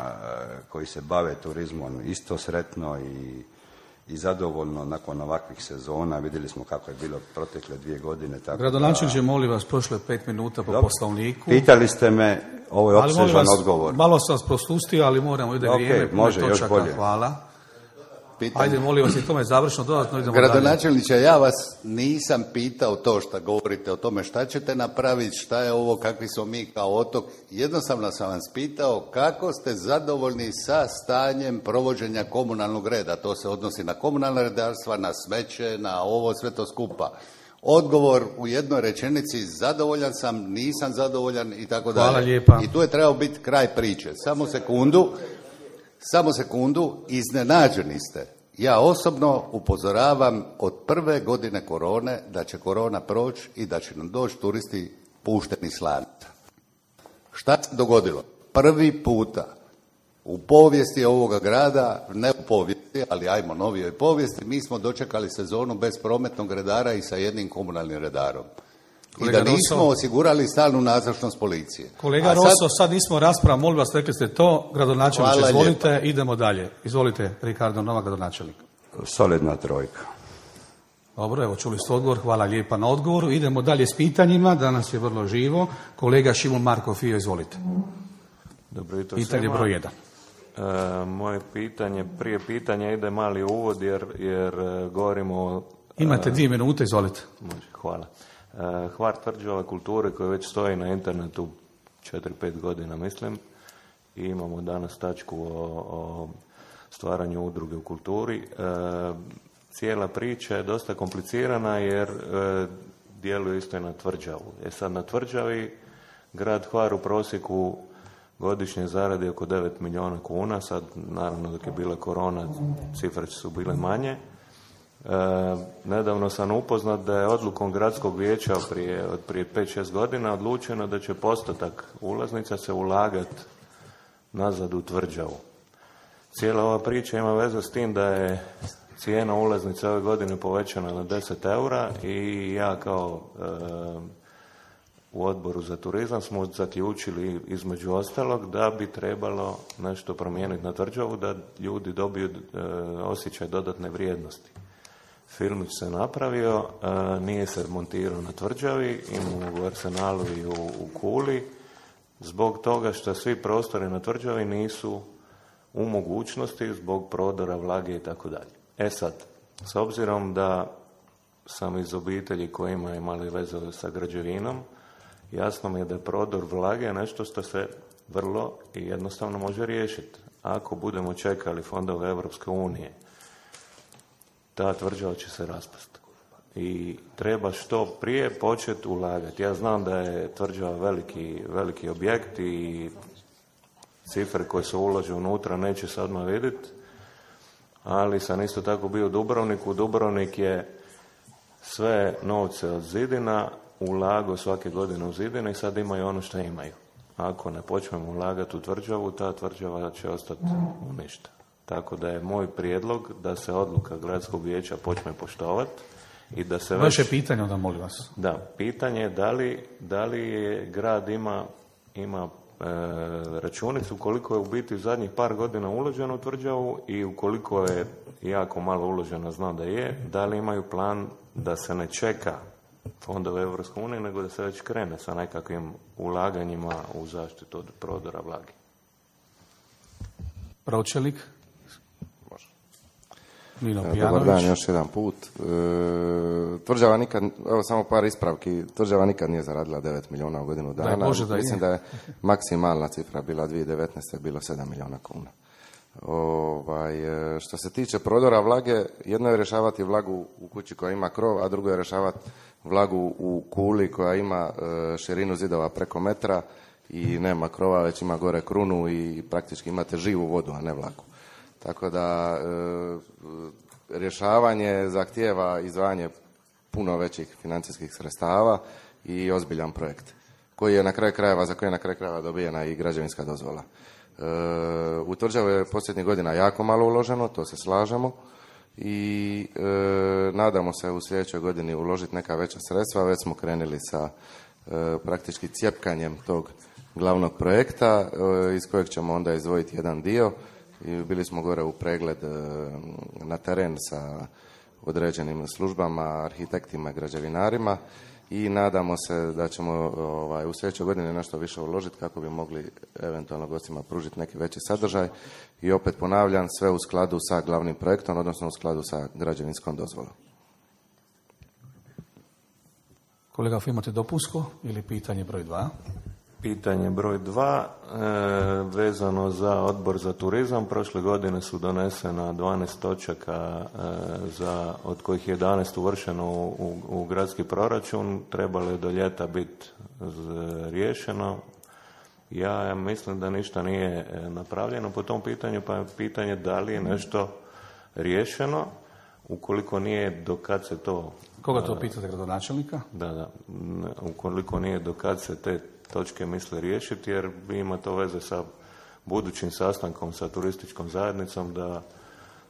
koji se bave turizmom isto sretno i zadovoljno nakon ovakvih sezona. Vidjeli smo kako je bilo protekle 2 godine. Gradonačelniče, molim vas, prošlo je 5 minuta po Poslovniku. Pitali ste me, ovo je opsežan odgovor. Malo sam vas propustio, ali moramo ide vrijeme. Može, još bolje. Hvala. Ajde, molim vas, i tome završno, dodatno idemo dalje. Gradonačelniče, ja vas nisam pitao to što govorite o tome šta ćete napraviti, šta je ovo, kakvi smo mi kao otok. Jednostavno sam vas pitao kako ste zadovoljni sa stanjem provođenja komunalnog reda. To se odnosi na komunalna redarstva, na smeće, na ovo sve to skupa. Odgovor u jednoj rečenici, zadovoljan sam, nisam zadovoljan i tako dalje. Hvala lijepa. I tu je trebao biti kraj priče. Samo sekundu, iznenađeni ste. Ja osobno upozoravam od prve godine korone da će korona proći i da će nam doći turisti pušteni s lanca. Šta se dogodilo? Prvi puta u povijesti ovoga grada, ne u povijesti, ali ajmo novijoj povijesti, mi smo dočekali sezonu bez prometnog redara i sa jednim komunalnim redarom. Kolega I da nismo osigurali stalnu nazočnost policije. Kolega Rosso, sad nismo rasprava, molim vas, rekli ste to, gradonačelniče, izvolite, lijepa. Idemo dalje. Izvolite, Ricardo Novak, gradonačelnik. Solidna trojka. Dobro, evo čuli ste odgovor, hvala lijepa na odgovoru. Idemo dalje s pitanjima, danas je vrlo živo. Kolega Šimon Marko Fio, izvolite. Dobro jutro pitanje svima. Broj 1. Moje pitanje, prije pitanja ide mali uvod jer govorimo o... Imate 2 minute, izvolite. Može, hvala. Hvar tvrđave kulture koji već stoji na internetu 4-5 godina mislim i imamo danas tačku o stvaranju udruge u kulturi. Cijela priča je dosta komplicirana jer djeluje isto i na tvrđavu. Sad na tvrđavi grad Hvar u prosjeku godišnje zaradi oko 9 milijuna kuna, sad naravno dok je bila korona cifre su bile manje. Nedavno sam upoznat da je odlukom gradskog vijeća prije 5-6 godina odlučeno da će postotak ulaznica se ulagati nazad u tvrđavu. Cijela ova priča ima veze s tim da je cijena ulaznice ove godine povećana na 10 eura i ja kao u odboru za turizam smo zaključili između ostalog da bi trebalo nešto promijeniti na tvrđavu da ljudi dobiju osjećaj dodatne vrijednosti. Filmić se napravio, nije se montirao na tvrđavi, imamo u Arsenalu i u Kuli, zbog toga što svi prostori na tvrđavi nisu u mogućnosti zbog prodora, vlage i tako dalje. Sad, s obzirom da sam iz obitelji koji ima imali veze sa građevinom, jasno mi je da je prodor vlage nešto što se vrlo i jednostavno može riješiti. Ako budemo čekali fondove Europske unije, ta tvrđava će se raspasti. I treba što prije početi ulagati. Ja znam da je tvrđava veliki objekt i cifre koje se ulažu unutra neće se odmah vidjeti, ali sam isto tako bio u Dubrovniku. Dubrovnik je sve novce od zidina ulagao svake godine u zidine i sad imaju ono što imaju. Ako ne počnemo ulagati u tvrđavu, ta tvrđava će ostati u ništa. Tako da je moj prijedlog da se odluka gradskog vijeća počne poštovati i da se Vaše pitanje onda, molim vas. Da, pitanje je da li je grad ima računicu koliko je u biti u zadnjih par godina uloženo u tvrđavu i ukoliko je jako malo uloženo, znam da je, da li imaju plan da se ne čeka fondove Europske unije, nego da se već krene sa nekakvim ulaganjima u zaštitu od prodora vlage. Pročelnik. Može. Nino Pijanović. Dobar dan, još jedan put. Tvrđava nikad, evo samo par ispravki, tvrđava nikad nije zaradila 9 milijuna u godinu dana. Mislim da je maksimalna cifra bila 2019. bilo 7 milijuna kuna. Što se tiče prodora vlage, jedno je rješavati vlagu u kući koja ima krov, a drugo je rješavati vlagu u kuli koja ima širinu zidova preko metra i nema krova, već ima gore krunu i praktički imate živu vodu, a ne vlagu. Tako da rješavanje zahtijeva izdvajanje puno većih financijskih sredstava i ozbiljan projekt koji je na kraju krajeva, za koji je na kraju krajeva dobijena i građevinska dozvola. U tvrđavu je posljednjih godina jako malo uloženo, to se slažemo i nadamo se u sljedećoj godini uložiti neka veća sredstva. Već smo krenuli sa praktički cjepkanjem tog glavnog projekta iz kojeg ćemo onda izdvojiti jedan dio. I bili smo gore u pregled na teren sa određenim službama, arhitektima i građevinarima i nadamo se da ćemo u sljedećoj godini nešto više uložiti kako bi mogli eventualno gostima pružiti neki veći sadržaj i opet ponavljam, sve u skladu sa glavnim projektom, odnosno u skladu sa građevinskom dozvolom. Kolega, imate dopunsko ili pitanje broj 2? Pitanje broj 2, vezano za Odbor za turizam. Prošle godine su donesena 12 točaka od kojih je 11 uvršeno u gradski proračun. Trebalo je do ljeta biti riješeno. Ja mislim da ništa nije napravljeno po tom pitanju, pa je pitanje da li je nešto riješeno. Ukoliko nije, do kad se to... Koga to pitate, gradonačelnika? Da. Ukoliko nije, do kad se te točke misle riješiti, jer ima to veze sa budućim sastankom sa turističkom zajednicom,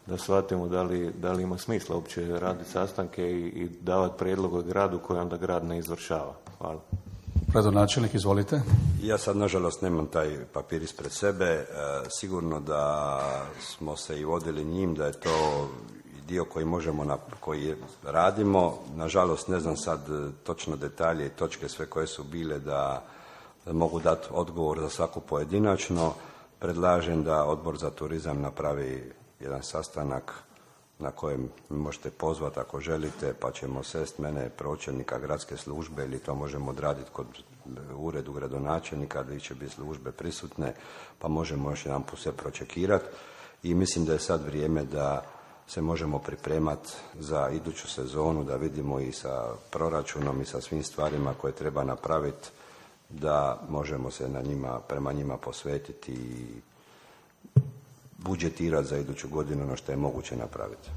da shvatimo da li ima smisla uopće raditi sastanke i davati prijedlog gradu koji onda grad ne izvršava. Hvala. Gradonačelnik, izvolite. Ja sad, nažalost, nemam taj papir ispred sebe. Sigurno da smo se i vodili njim, da je to dio koji koji radimo. Nažalost, ne znam sad točno detalje i točke sve koje su bile da mogu dati odgovor za svaku pojedinačno. Predlažem da Odbor za turizam napravi jedan sastanak na kojem možete pozvati ako želite, pa ćemo sest mene, pročelnika gradske službe, ili to možemo odraditi kod uredu gradonačelnika, gdje će biti službe prisutne, pa možemo još jedan put sve pročekirati. I mislim da je sad vrijeme da se možemo pripremati za iduću sezonu, da vidimo i sa proračunom i sa svim stvarima koje treba napraviti, da možemo se prema njima posvetiti i budžetirati za iduću godinu ono što je moguće napraviti.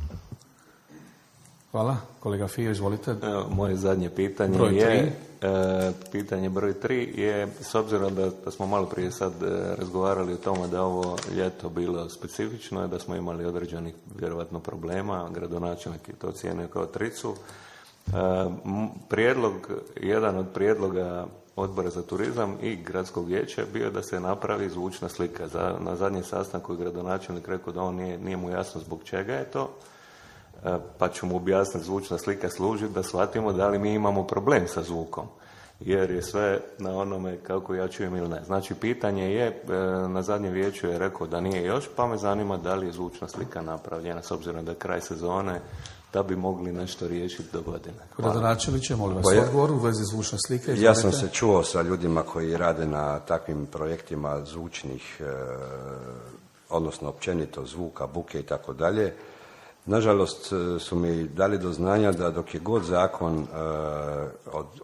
Hvala. Kolega Fijo, izvolite. Moje zadnje pitanje pitanje broj 3 je, s obzirom da smo malo prije sad razgovarali o tome da ovo ljeto bilo specifično i da smo imali određenih vjerovatno problema, gradonačelnik je to cijenio kao tricu. Jedan od prijedloga Odbora za turizam i gradskog vijeća je bio da se napravi zvučna slika. Na zadnjem sastanku je gradonačelnik rekao da on nije mu jasno zbog čega je to, pa ću mu objasniti, zvučna slika služi da shvatimo da li mi imamo problem sa zvukom. jer je sve na onome kako ja čujem ili ne. Znači, pitanje je, na zadnjem vijeću je rekao da nije još, pa me zanima da li je zvučna slika napravljena, s obzirom da je kraj sezone, da bi mogli nešto riješiti do godine. Gradonačelniče, molim vas odgovor u vezi zvučne slike. Ja sam se čuo sa ljudima koji rade na takvim projektima zvučnih, odnosno općenito zvuka, buke i tako dalje. Nažalost su mi dali do znanja da dok je god zakon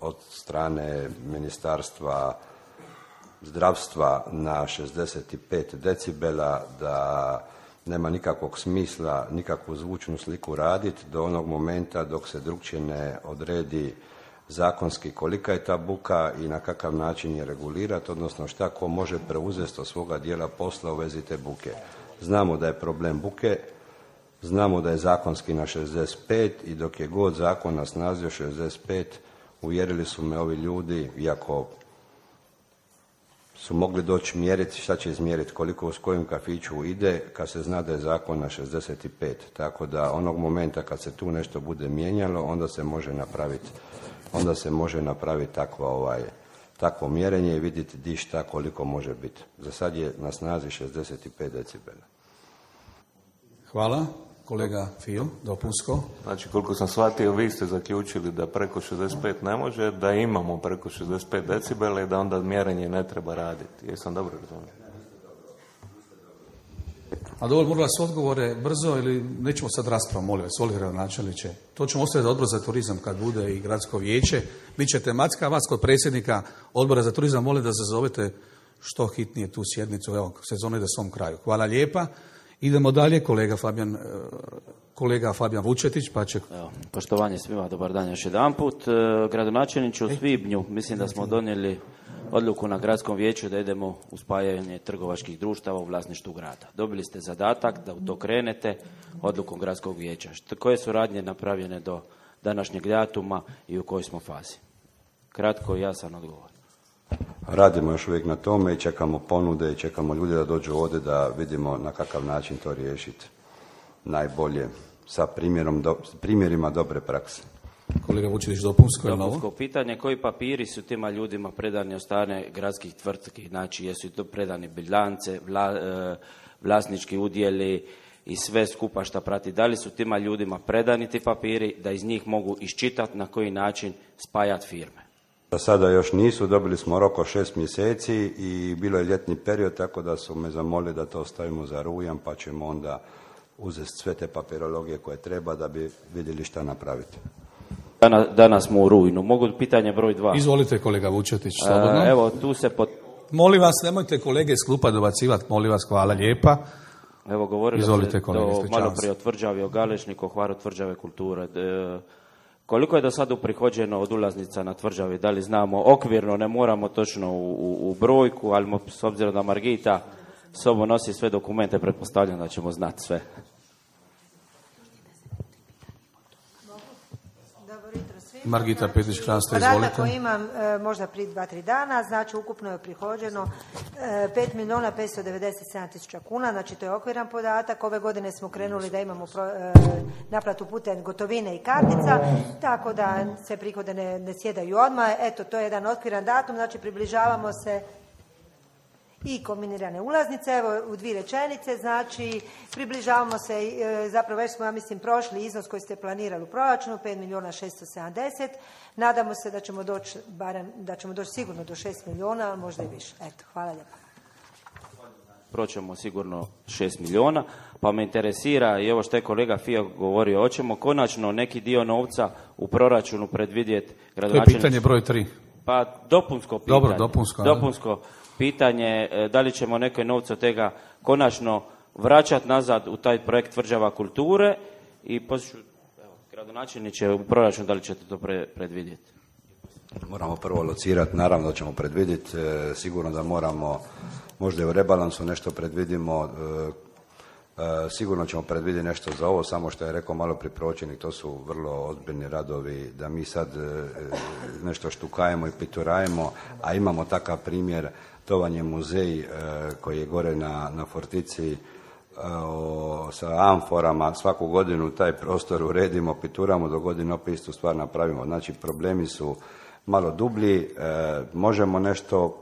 od strane Ministarstva zdravstva na 65 decibela, da nema nikakvog smisla nikakvu zvučnu sliku raditi do onog momenta dok se drukčije ne odredi zakonski kolika je ta buka i na kakav način je regulirati, odnosno šta ko može preuzeti od svoga dijela posla u vezi te buke. Znamo da je problem buke, znamo da je zakonski na 65 i dok je god zakon na snazi 65, uvjerili su me ovi ljudi, iako su mogli doći mjeriti, šta će izmjeriti, koliko s kojim kafiću ide, kad se zna da je zakon na 65. Tako da onog momenta kad se tu nešto bude mijenjalo, onda se može napraviti takvo mjerenje i vidjeti di šta koliko može biti. Za sad je na snazi 65 decibela. Hvala. Kolega Fio, dopunsko. Znači, koliko sam shvatio, vi ste zaključili da preko 65 ne može, da imamo preko 65 decibela i da onda mjerenje ne treba raditi. Jesam dobro razumio? A dobro, molim vas odgovore brzo ili nećemo sad raspravu, molim vas, Oliver gradonačelniče. To ćemo ostaviti za odbor za turizam kad bude i gradsko vijeće. Biće tematska, vas kod predsjednika odbora za turizam molim da zazovete što hitnije tu sjednicu. Evo, sezona ide svom kraju. Hvala lijepa. Idemo dalje, kolega Fabijan Vučetić, pa će... Evo, poštovanje svima, dobar dan još jedanput. Gradonačelniče, u svibnju mislim da smo donijeli odluku na gradskom vijeću da idemo u spajanje trgovačkih društava u vlasništvu grada. Dobili ste zadatak da u to krenete odlukom gradskog vijeća. Koje su radnje napravljene do današnjeg datuma i u kojoj smo fazi? Kratko i jasan odgovor. Radimo još uvijek na tome i čekamo ponude i čekamo ljude da dođu ovdje da vidimo na kakav način to riješiti najbolje sa primjerima dobre prakse. Kolega Vučetić, dopunsko je novo? Dopunsko pitanje, koji papiri su tima ljudima predani od strane gradskih tvrtki? Znači, jesu to predani bilance, vlasnički udjeli i sve skupa šta prati? Da li su tima ljudima predani ti papiri da iz njih mogu iščitati na koji način spajati firme? Za sada još nisu, dobili smo rok od 6 mjeseci i bilo je ljetni period, tako da su me zamolili da to ostavimo za rujan, pa ćemo onda uzeti sve te papirologije koje treba da bi vidjeli šta napraviti. Danas smo u rujnu. Mogu pitanje broj 2? Izvolite, kolega Vučetić, slobodno. Evo, tu se Molim vas, nemojte kolege iz klupa dobacivati, molim vas, hvala lijepa. Evo, govorili Izvolite, ste malo prije o tvrđavi, o Galešniku, o Hvaru tvrđave kulture. Koliko je do sada uprihođeno od ulaznica na tvrđavi? Da li znamo okvirno, ne moramo točno u brojku, ali s obzirom da Margita sobom nosi sve dokumente, pretpostavljam da ćemo znati sve. Margita Petić-Krasta, izvolite. Podatak koji imam možda prije 2-3 dana, znači ukupno je prihođeno 5.597.000 kuna, znači to je okviran podatak. Ove godine smo krenuli da imamo naplatu putem gotovine i kartica, tako da se prihode ne sjedaju odmah. Eto, to je jedan okviran datum, znači približavamo se i kombinirane ulaznice, evo u 2 rečenice, znači približavamo se, zapravo već smo, ja mislim, prošli iznos koji ste planirali u proračunu, 5.670.000, nadamo se da ćemo doći sigurno do 6 milijuna, a možda i više. Eto, hvala lijepa. Proćemo sigurno 6 milijuna, pa me interesira i ovo što je kolega Fio govorio, hoćemo konačno neki dio novca u proračunu predvidjeti gradonačelnici. To je pitanje broj 3. Pa dopunsko pitanje. Dobro, dopunsko. Pitanje, da li ćemo neke novce od tega konačno vraćati nazad u taj projekt tvrđava kulture i gradonačelniče u proračun, da li ćete to predvidjeti? Moramo prvo locirati, naravno da ćemo predvidjeti, sigurno da moramo, možda i u rebalansu nešto predvidimo, sigurno ćemo predvidjeti nešto za ovo, samo što je rekao malo prije pročelnik, to su vrlo ozbiljni radovi, da mi sad nešto štukajemo i piturajemo, a imamo takav primjer, to vam je muzej koji je gore na Fortici sa amforama, svaku godinu taj prostor uredimo, pituramo, do godine opet istu stvar napravimo. Znači problemi su malo dublji. Možemo nešto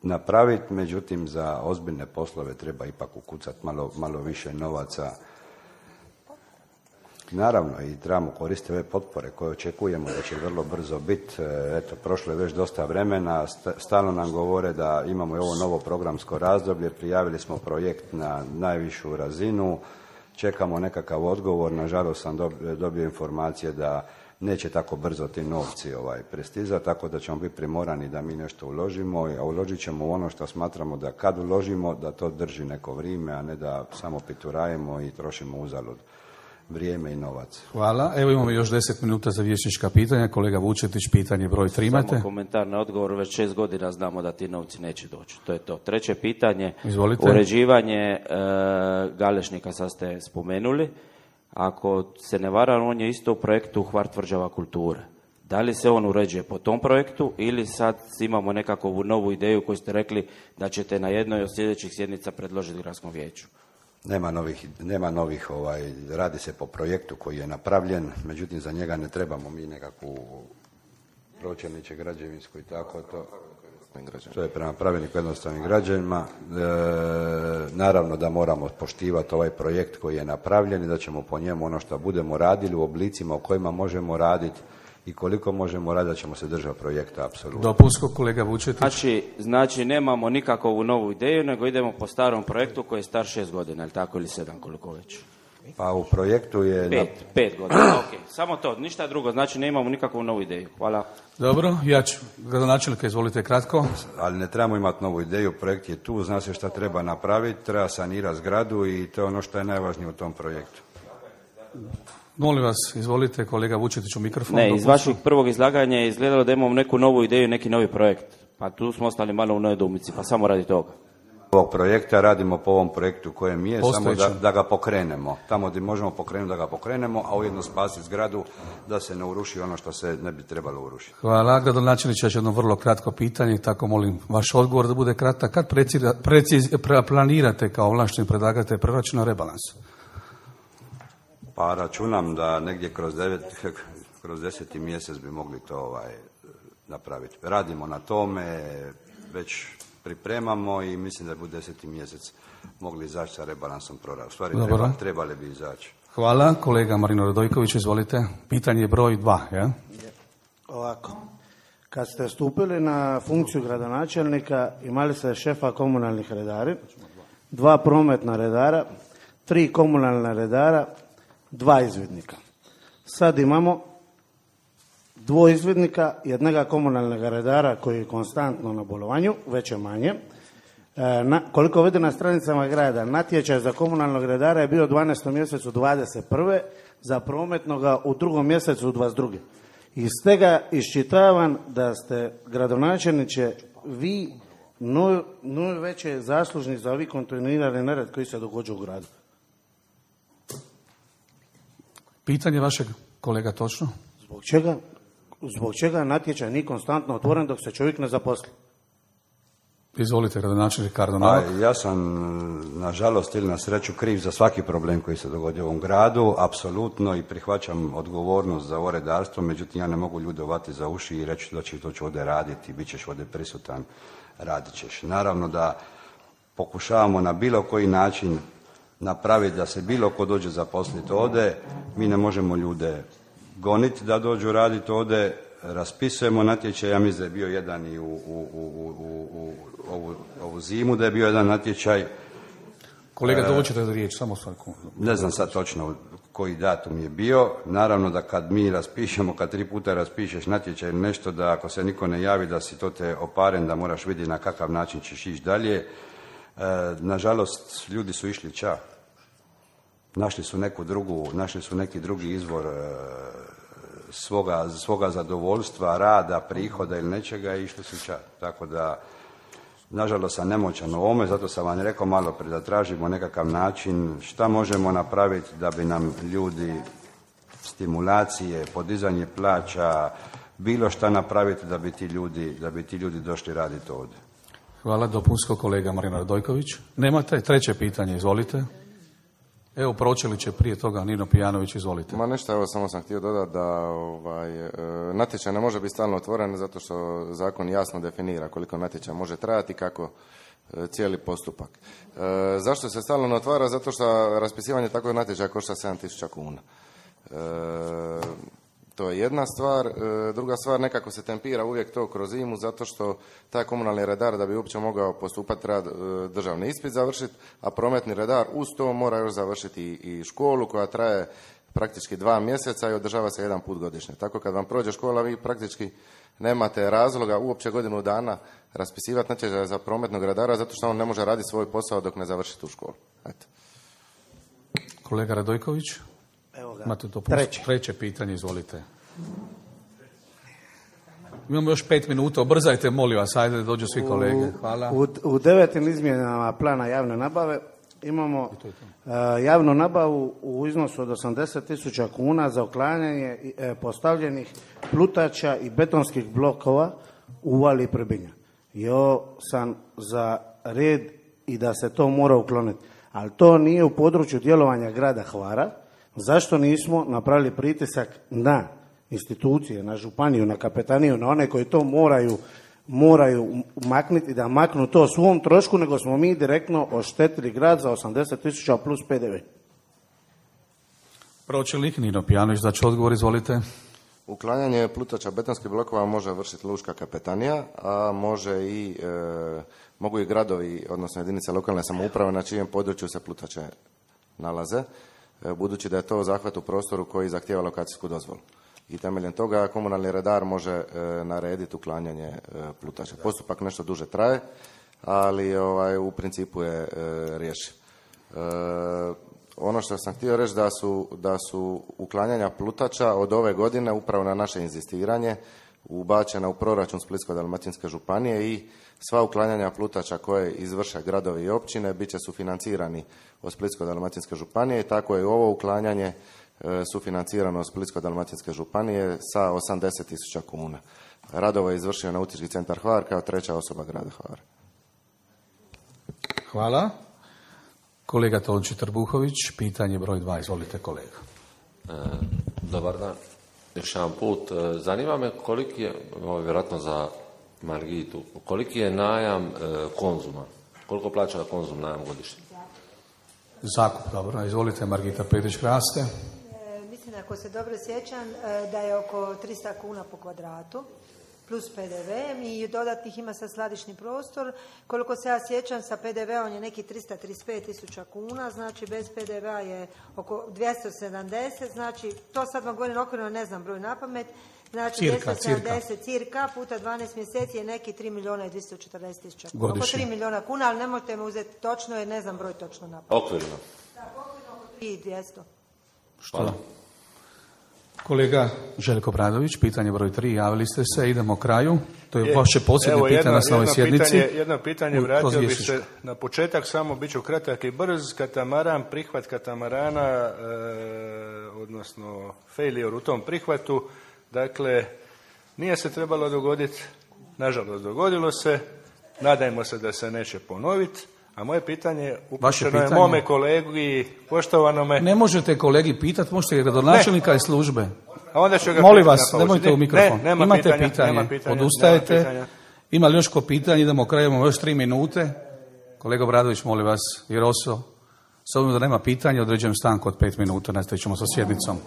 napraviti, međutim za ozbiljne poslove treba ipak ukucati malo više novaca. Naravno, i trebamo koristiti ove potpore koje očekujemo da će vrlo brzo biti. Eto, prošlo je već dosta vremena, stalno nam govore da imamo i ovo novo programsko razdoblje, prijavili smo projekt na najvišu razinu, čekamo nekakav odgovor, nažalost sam dobio informacije da neće tako brzo ti novci prestizati, tako da ćemo biti primorani da mi nešto uložimo, a uložit ćemo u ono što smatramo da kad uložimo da to drži neko vrijeme, a ne da samo piturajemo i trošimo uzalud vrijeme i novac. Hvala. Evo imamo još 10 minuta za vijećnička pitanja. Kolega Vučetić, pitanje broj 3 imate. Samo komentar na odgovor, već 6 godina znamo da ti novci neće doći. To je to. Treće pitanje, izvolite. Uređivanje Galešnika, sad ste spomenuli. Ako se ne varam, on je isto u projektu Hvar tvrđava kulture. Da li se on uređuje po tom projektu ili sad imamo nekakvu novu ideju koju ste rekli da ćete na jednoj od sljedećih sjednica predložiti gradskom vijeću? Nema novih, radi se po projektu koji je napravljen, međutim za njega ne trebamo mi nekakvu pročelniče građevinsku i tako to je prema pravilniku jednostavnim građanima. Naravno da moramo poštivati ovaj projekt koji je napravljen i da ćemo po njemu ono što budemo radili u oblicima u kojima možemo raditi i koliko možemo raditi, da ćemo se držati projekta, apsolutno. Dopunsko, kolega Vučetić. Znači nemamo nikakvu novu ideju, nego idemo po starom projektu koji je star 6 godina, ili tako, ili 7, koliko već? Pa u projektu je... 5 godina, ok. Samo to, ništa drugo, znači nemamo nikakvu novu ideju. Hvala. Dobro, ja ću, gradonačelnika, izvolite kratko. Ali ne trebamo imati novu ideju, projekt je tu, zna se šta treba napraviti, treba sanirati zgradu i to je ono što je najvažnije u tom projektu. Molim vas, izvolite, kolega Vučetić u mikrofon. Ne, iz vašeg prvog izlaganja je izgledalo da imamo neku novu ideju, neki novi projekt. Pa tu smo ostali malo u nedoumici, pa samo radi toga. Ovog projekta radimo po ovom projektu kojem je, samo da ga pokrenemo. Tamo gdje možemo pokrenuti, da ga pokrenemo, a ujedno spasiti zgradu da se ne uruši ono što se ne bi trebalo urušiti. Hvala. Gradonačelniče, još jedno vrlo kratko pitanje, tako molim vaš odgovor da bude kratak. Kad planirate kao ovlašteni predlagatelj proračuna rebalans? Pa računam da negdje kroz 10. mjesec bi mogli to napraviti. Radimo na tome, već pripremamo i mislim da bi u 10. mjesec mogli izaći sa rebalansom proračuna. U stvari trebali bi izaći. Hvala. Kolega Marino Radojković, izvolite. Pitanje broj 2, ja? Ovako. Kad ste stupili na funkciju gradonačelnika, imali ste šefa komunalnih redari, 2 prometna redara, 3 komunalna redara, 2 izvidnika. Sad imamo 2 izvidnika, jednoga komunalnog redara koji je konstantno na bolovanju, veće manje. Koliko vidim na stranicama grada, natječaj za komunalnog redara je bio u 12. mjesecu 21. za prometnoga u 2. mjesecu 22. Iz tega iščitavam da ste, gradonačelniče, vi najveće zaslužni za ovi kontinuirani nered koji se događa u gradu. Pitanje vašeg kolega točno? Zbog čega natječaj nije konstantno otvoren dok se čovjek ne zaposli? Izvolite, gradonačelnik Kardo Novak. Ja sam, nažalost ili na sreću, kriv za svaki problem koji se dogodio u ovom gradu, apsolutno, i prihvaćam odgovornost za ovo redarstvo, međutim ja ne mogu ljude uvati za uši i reći da će to ću ovdje raditi, bit ćeš ovdje prisutan, radit ćeš. Naravno da pokušavamo na bilo koji način napraviti da se bilo ko dođe zaposliti ovdje, mi ne možemo ljude goniti da dođu raditi ovdje, raspisujemo natječaj, ja mislim da je bio jedan i u ovu zimu da je bio jedan natječaj. Kolega, dođete za riječ, samo sekundu. Ne znam sad točno koji datum je bio. Naravno da kad mi raspišemo, kad 3 puta raspišeš natječaj ili nešto, da ako se niko ne javi da si to te oparen, da moraš vidjeti na kakav način ćeš ići dalje. Nažalost, ljudi su išli ča. Našli su neki drugi izvor svoga zadovoljstva, rada, prihoda ili nečega i išli su ča. Tako da, nažalost sam nemoćan u ovome, zato sam vam rekao malo prije da tražimo nekakav način šta možemo napraviti da bi nam ljudi stimulacije, podizanje plaća, bilo šta napraviti da bi ti ljudi došli raditi ovdje. Hvala. Dopunsko, kolega Marino Radojković. Nemate? Treće pitanje, izvolite. Evo, pročeli će prije toga Nino Pijanović, izvolite. Ma nešto, evo, samo sam htio dodati da natječaj ne može biti stalno otvoren zato što zakon jasno definira koliko natječaj može trajati i kako cijeli postupak. Zašto se stalno ne otvara? Zato što raspisivanje takvog natječaja košta 7.000 kuna. To je jedna stvar. Druga stvar, nekako se tempira uvijek to kroz zimu zato što taj komunalni redar da bi uopće mogao postupati treba državni ispit završiti, a prometni redar uz to mora još završiti i školu koja traje praktički 2 mjeseca i održava se 1 put godišnje. Tako kad vam prođe škola vi praktički nemate razloga uopće godinu dana raspisivati natječaj za prometnog redara zato što on ne može raditi svoj posao dok ne završi tu školu. Eto. Kolega Radojković? Evo ga. Imate to Treće pitanje, izvolite. Imamo još 5 minuta, obrzajte, molim vas, ajde da dođu svi kolege. Hvala. U 9. izmjenama plana javne nabave imamo javnu nabavu u iznosu od 80.000 kuna za uklanjanje postavljenih plutača i betonskih blokova u Uvali Prbinja. Jo sam za red i da se to mora ukloniti. Ali to nije u području djelovanja grada Hvara. Zašto nismo napravili pritisak na institucije, na županiju, na kapetaniju, na one koji to moraju maknuti i da maknu to svom trošku, nego smo mi direktno oštetili grad za 80.000 plus PDV. Pročelnik Nino Pijanović, da će odgovor, izvolite. Uklanjanje plutača betonskih blokova može vršiti lučka kapetanija, a mogu i gradovi, odnosno jedinice lokalne samouprave na čijem području se plutače nalaze, budući da je to zahvat u prostoru koji zahtijeva lokacijsku dozvolu. I temeljem toga komunalni redar može narediti uklanjanje plutača. Postupak nešto duže traje, ali u principu je riješen. Ono što sam htio reći da su uklanjanja plutača od ove godine upravo na naše inzistiranje ubačena u proračun Splitsko-dalmatinske županije i sva uklanjanja plutača koje izvrše gradovi i općine bit će sufinancirani od Splitsko-dalmatinske županije i tako je ovo uklanjanje sufinancirano od Splitsko-dalmatinske županije sa 80.000 kuna. Radovo je izvršio Nautički centar Hvar kao 3. osoba grada Hvara. Hvala. Kolega Tonči Trbuhović, pitanje broj 2. Izvolite, kolega. Dobar dan. Još jedan put. Zanima me koliki je, ovo je vjerojatno za Margitu, koliki je najam Konzuma? Koliko plaća Konzum najam godišnje? Zakup, dobro. Izvolite, Margita Petić-Kraste. Mislim, ako se dobro sjećam, da je oko 300 kuna po kvadratu, plus PDV i dodatnih ima sa skladišni prostor. Koliko se ja sjećam, sa PDV-om je neki 335.000 kuna, znači bez PDV-a je oko 270, znači to sad vam govorim okvirno, ne znam broj napamet, znači cirka puta 12 mjeseci je neki 3.240.000 kuna. Oko 3 milijuna kuna, ali nemojte me uzeti točno jer ne znam broj točno napamet. Okvirno. Da, okvirno oko 3.200. Što? Kolega Željko Bradović, pitanje broj 3, javili ste se, idemo kraju. To je vaše posljednje pitanje na ovoj sjednici. Jedno pitanje, vratio bih se na početak, samo bit ću kratak i brz. Katamaran, prihvat katamarana, odnosno failure u tom prihvatu, dakle, nije se trebalo dogoditi, nažalost dogodilo se, nadajmo se da se neće ponoviti. A moje pitanje upućeno je mome kolegi, poštovanome... Ne možete kolegi pitati, možete gradonačelnika i službe. A onda ću ga molim vas, nemojte u mikrofon. Imate pitanje, odustajete. Ima li još ko pitanje, idemo kraju, imamo još 3 minute. Kolega Bradović, molim vas, Jeroso, s obzirom da nema pitanja, određujem stanku od 5 minuta, nastavit ćemo sa sjednicom.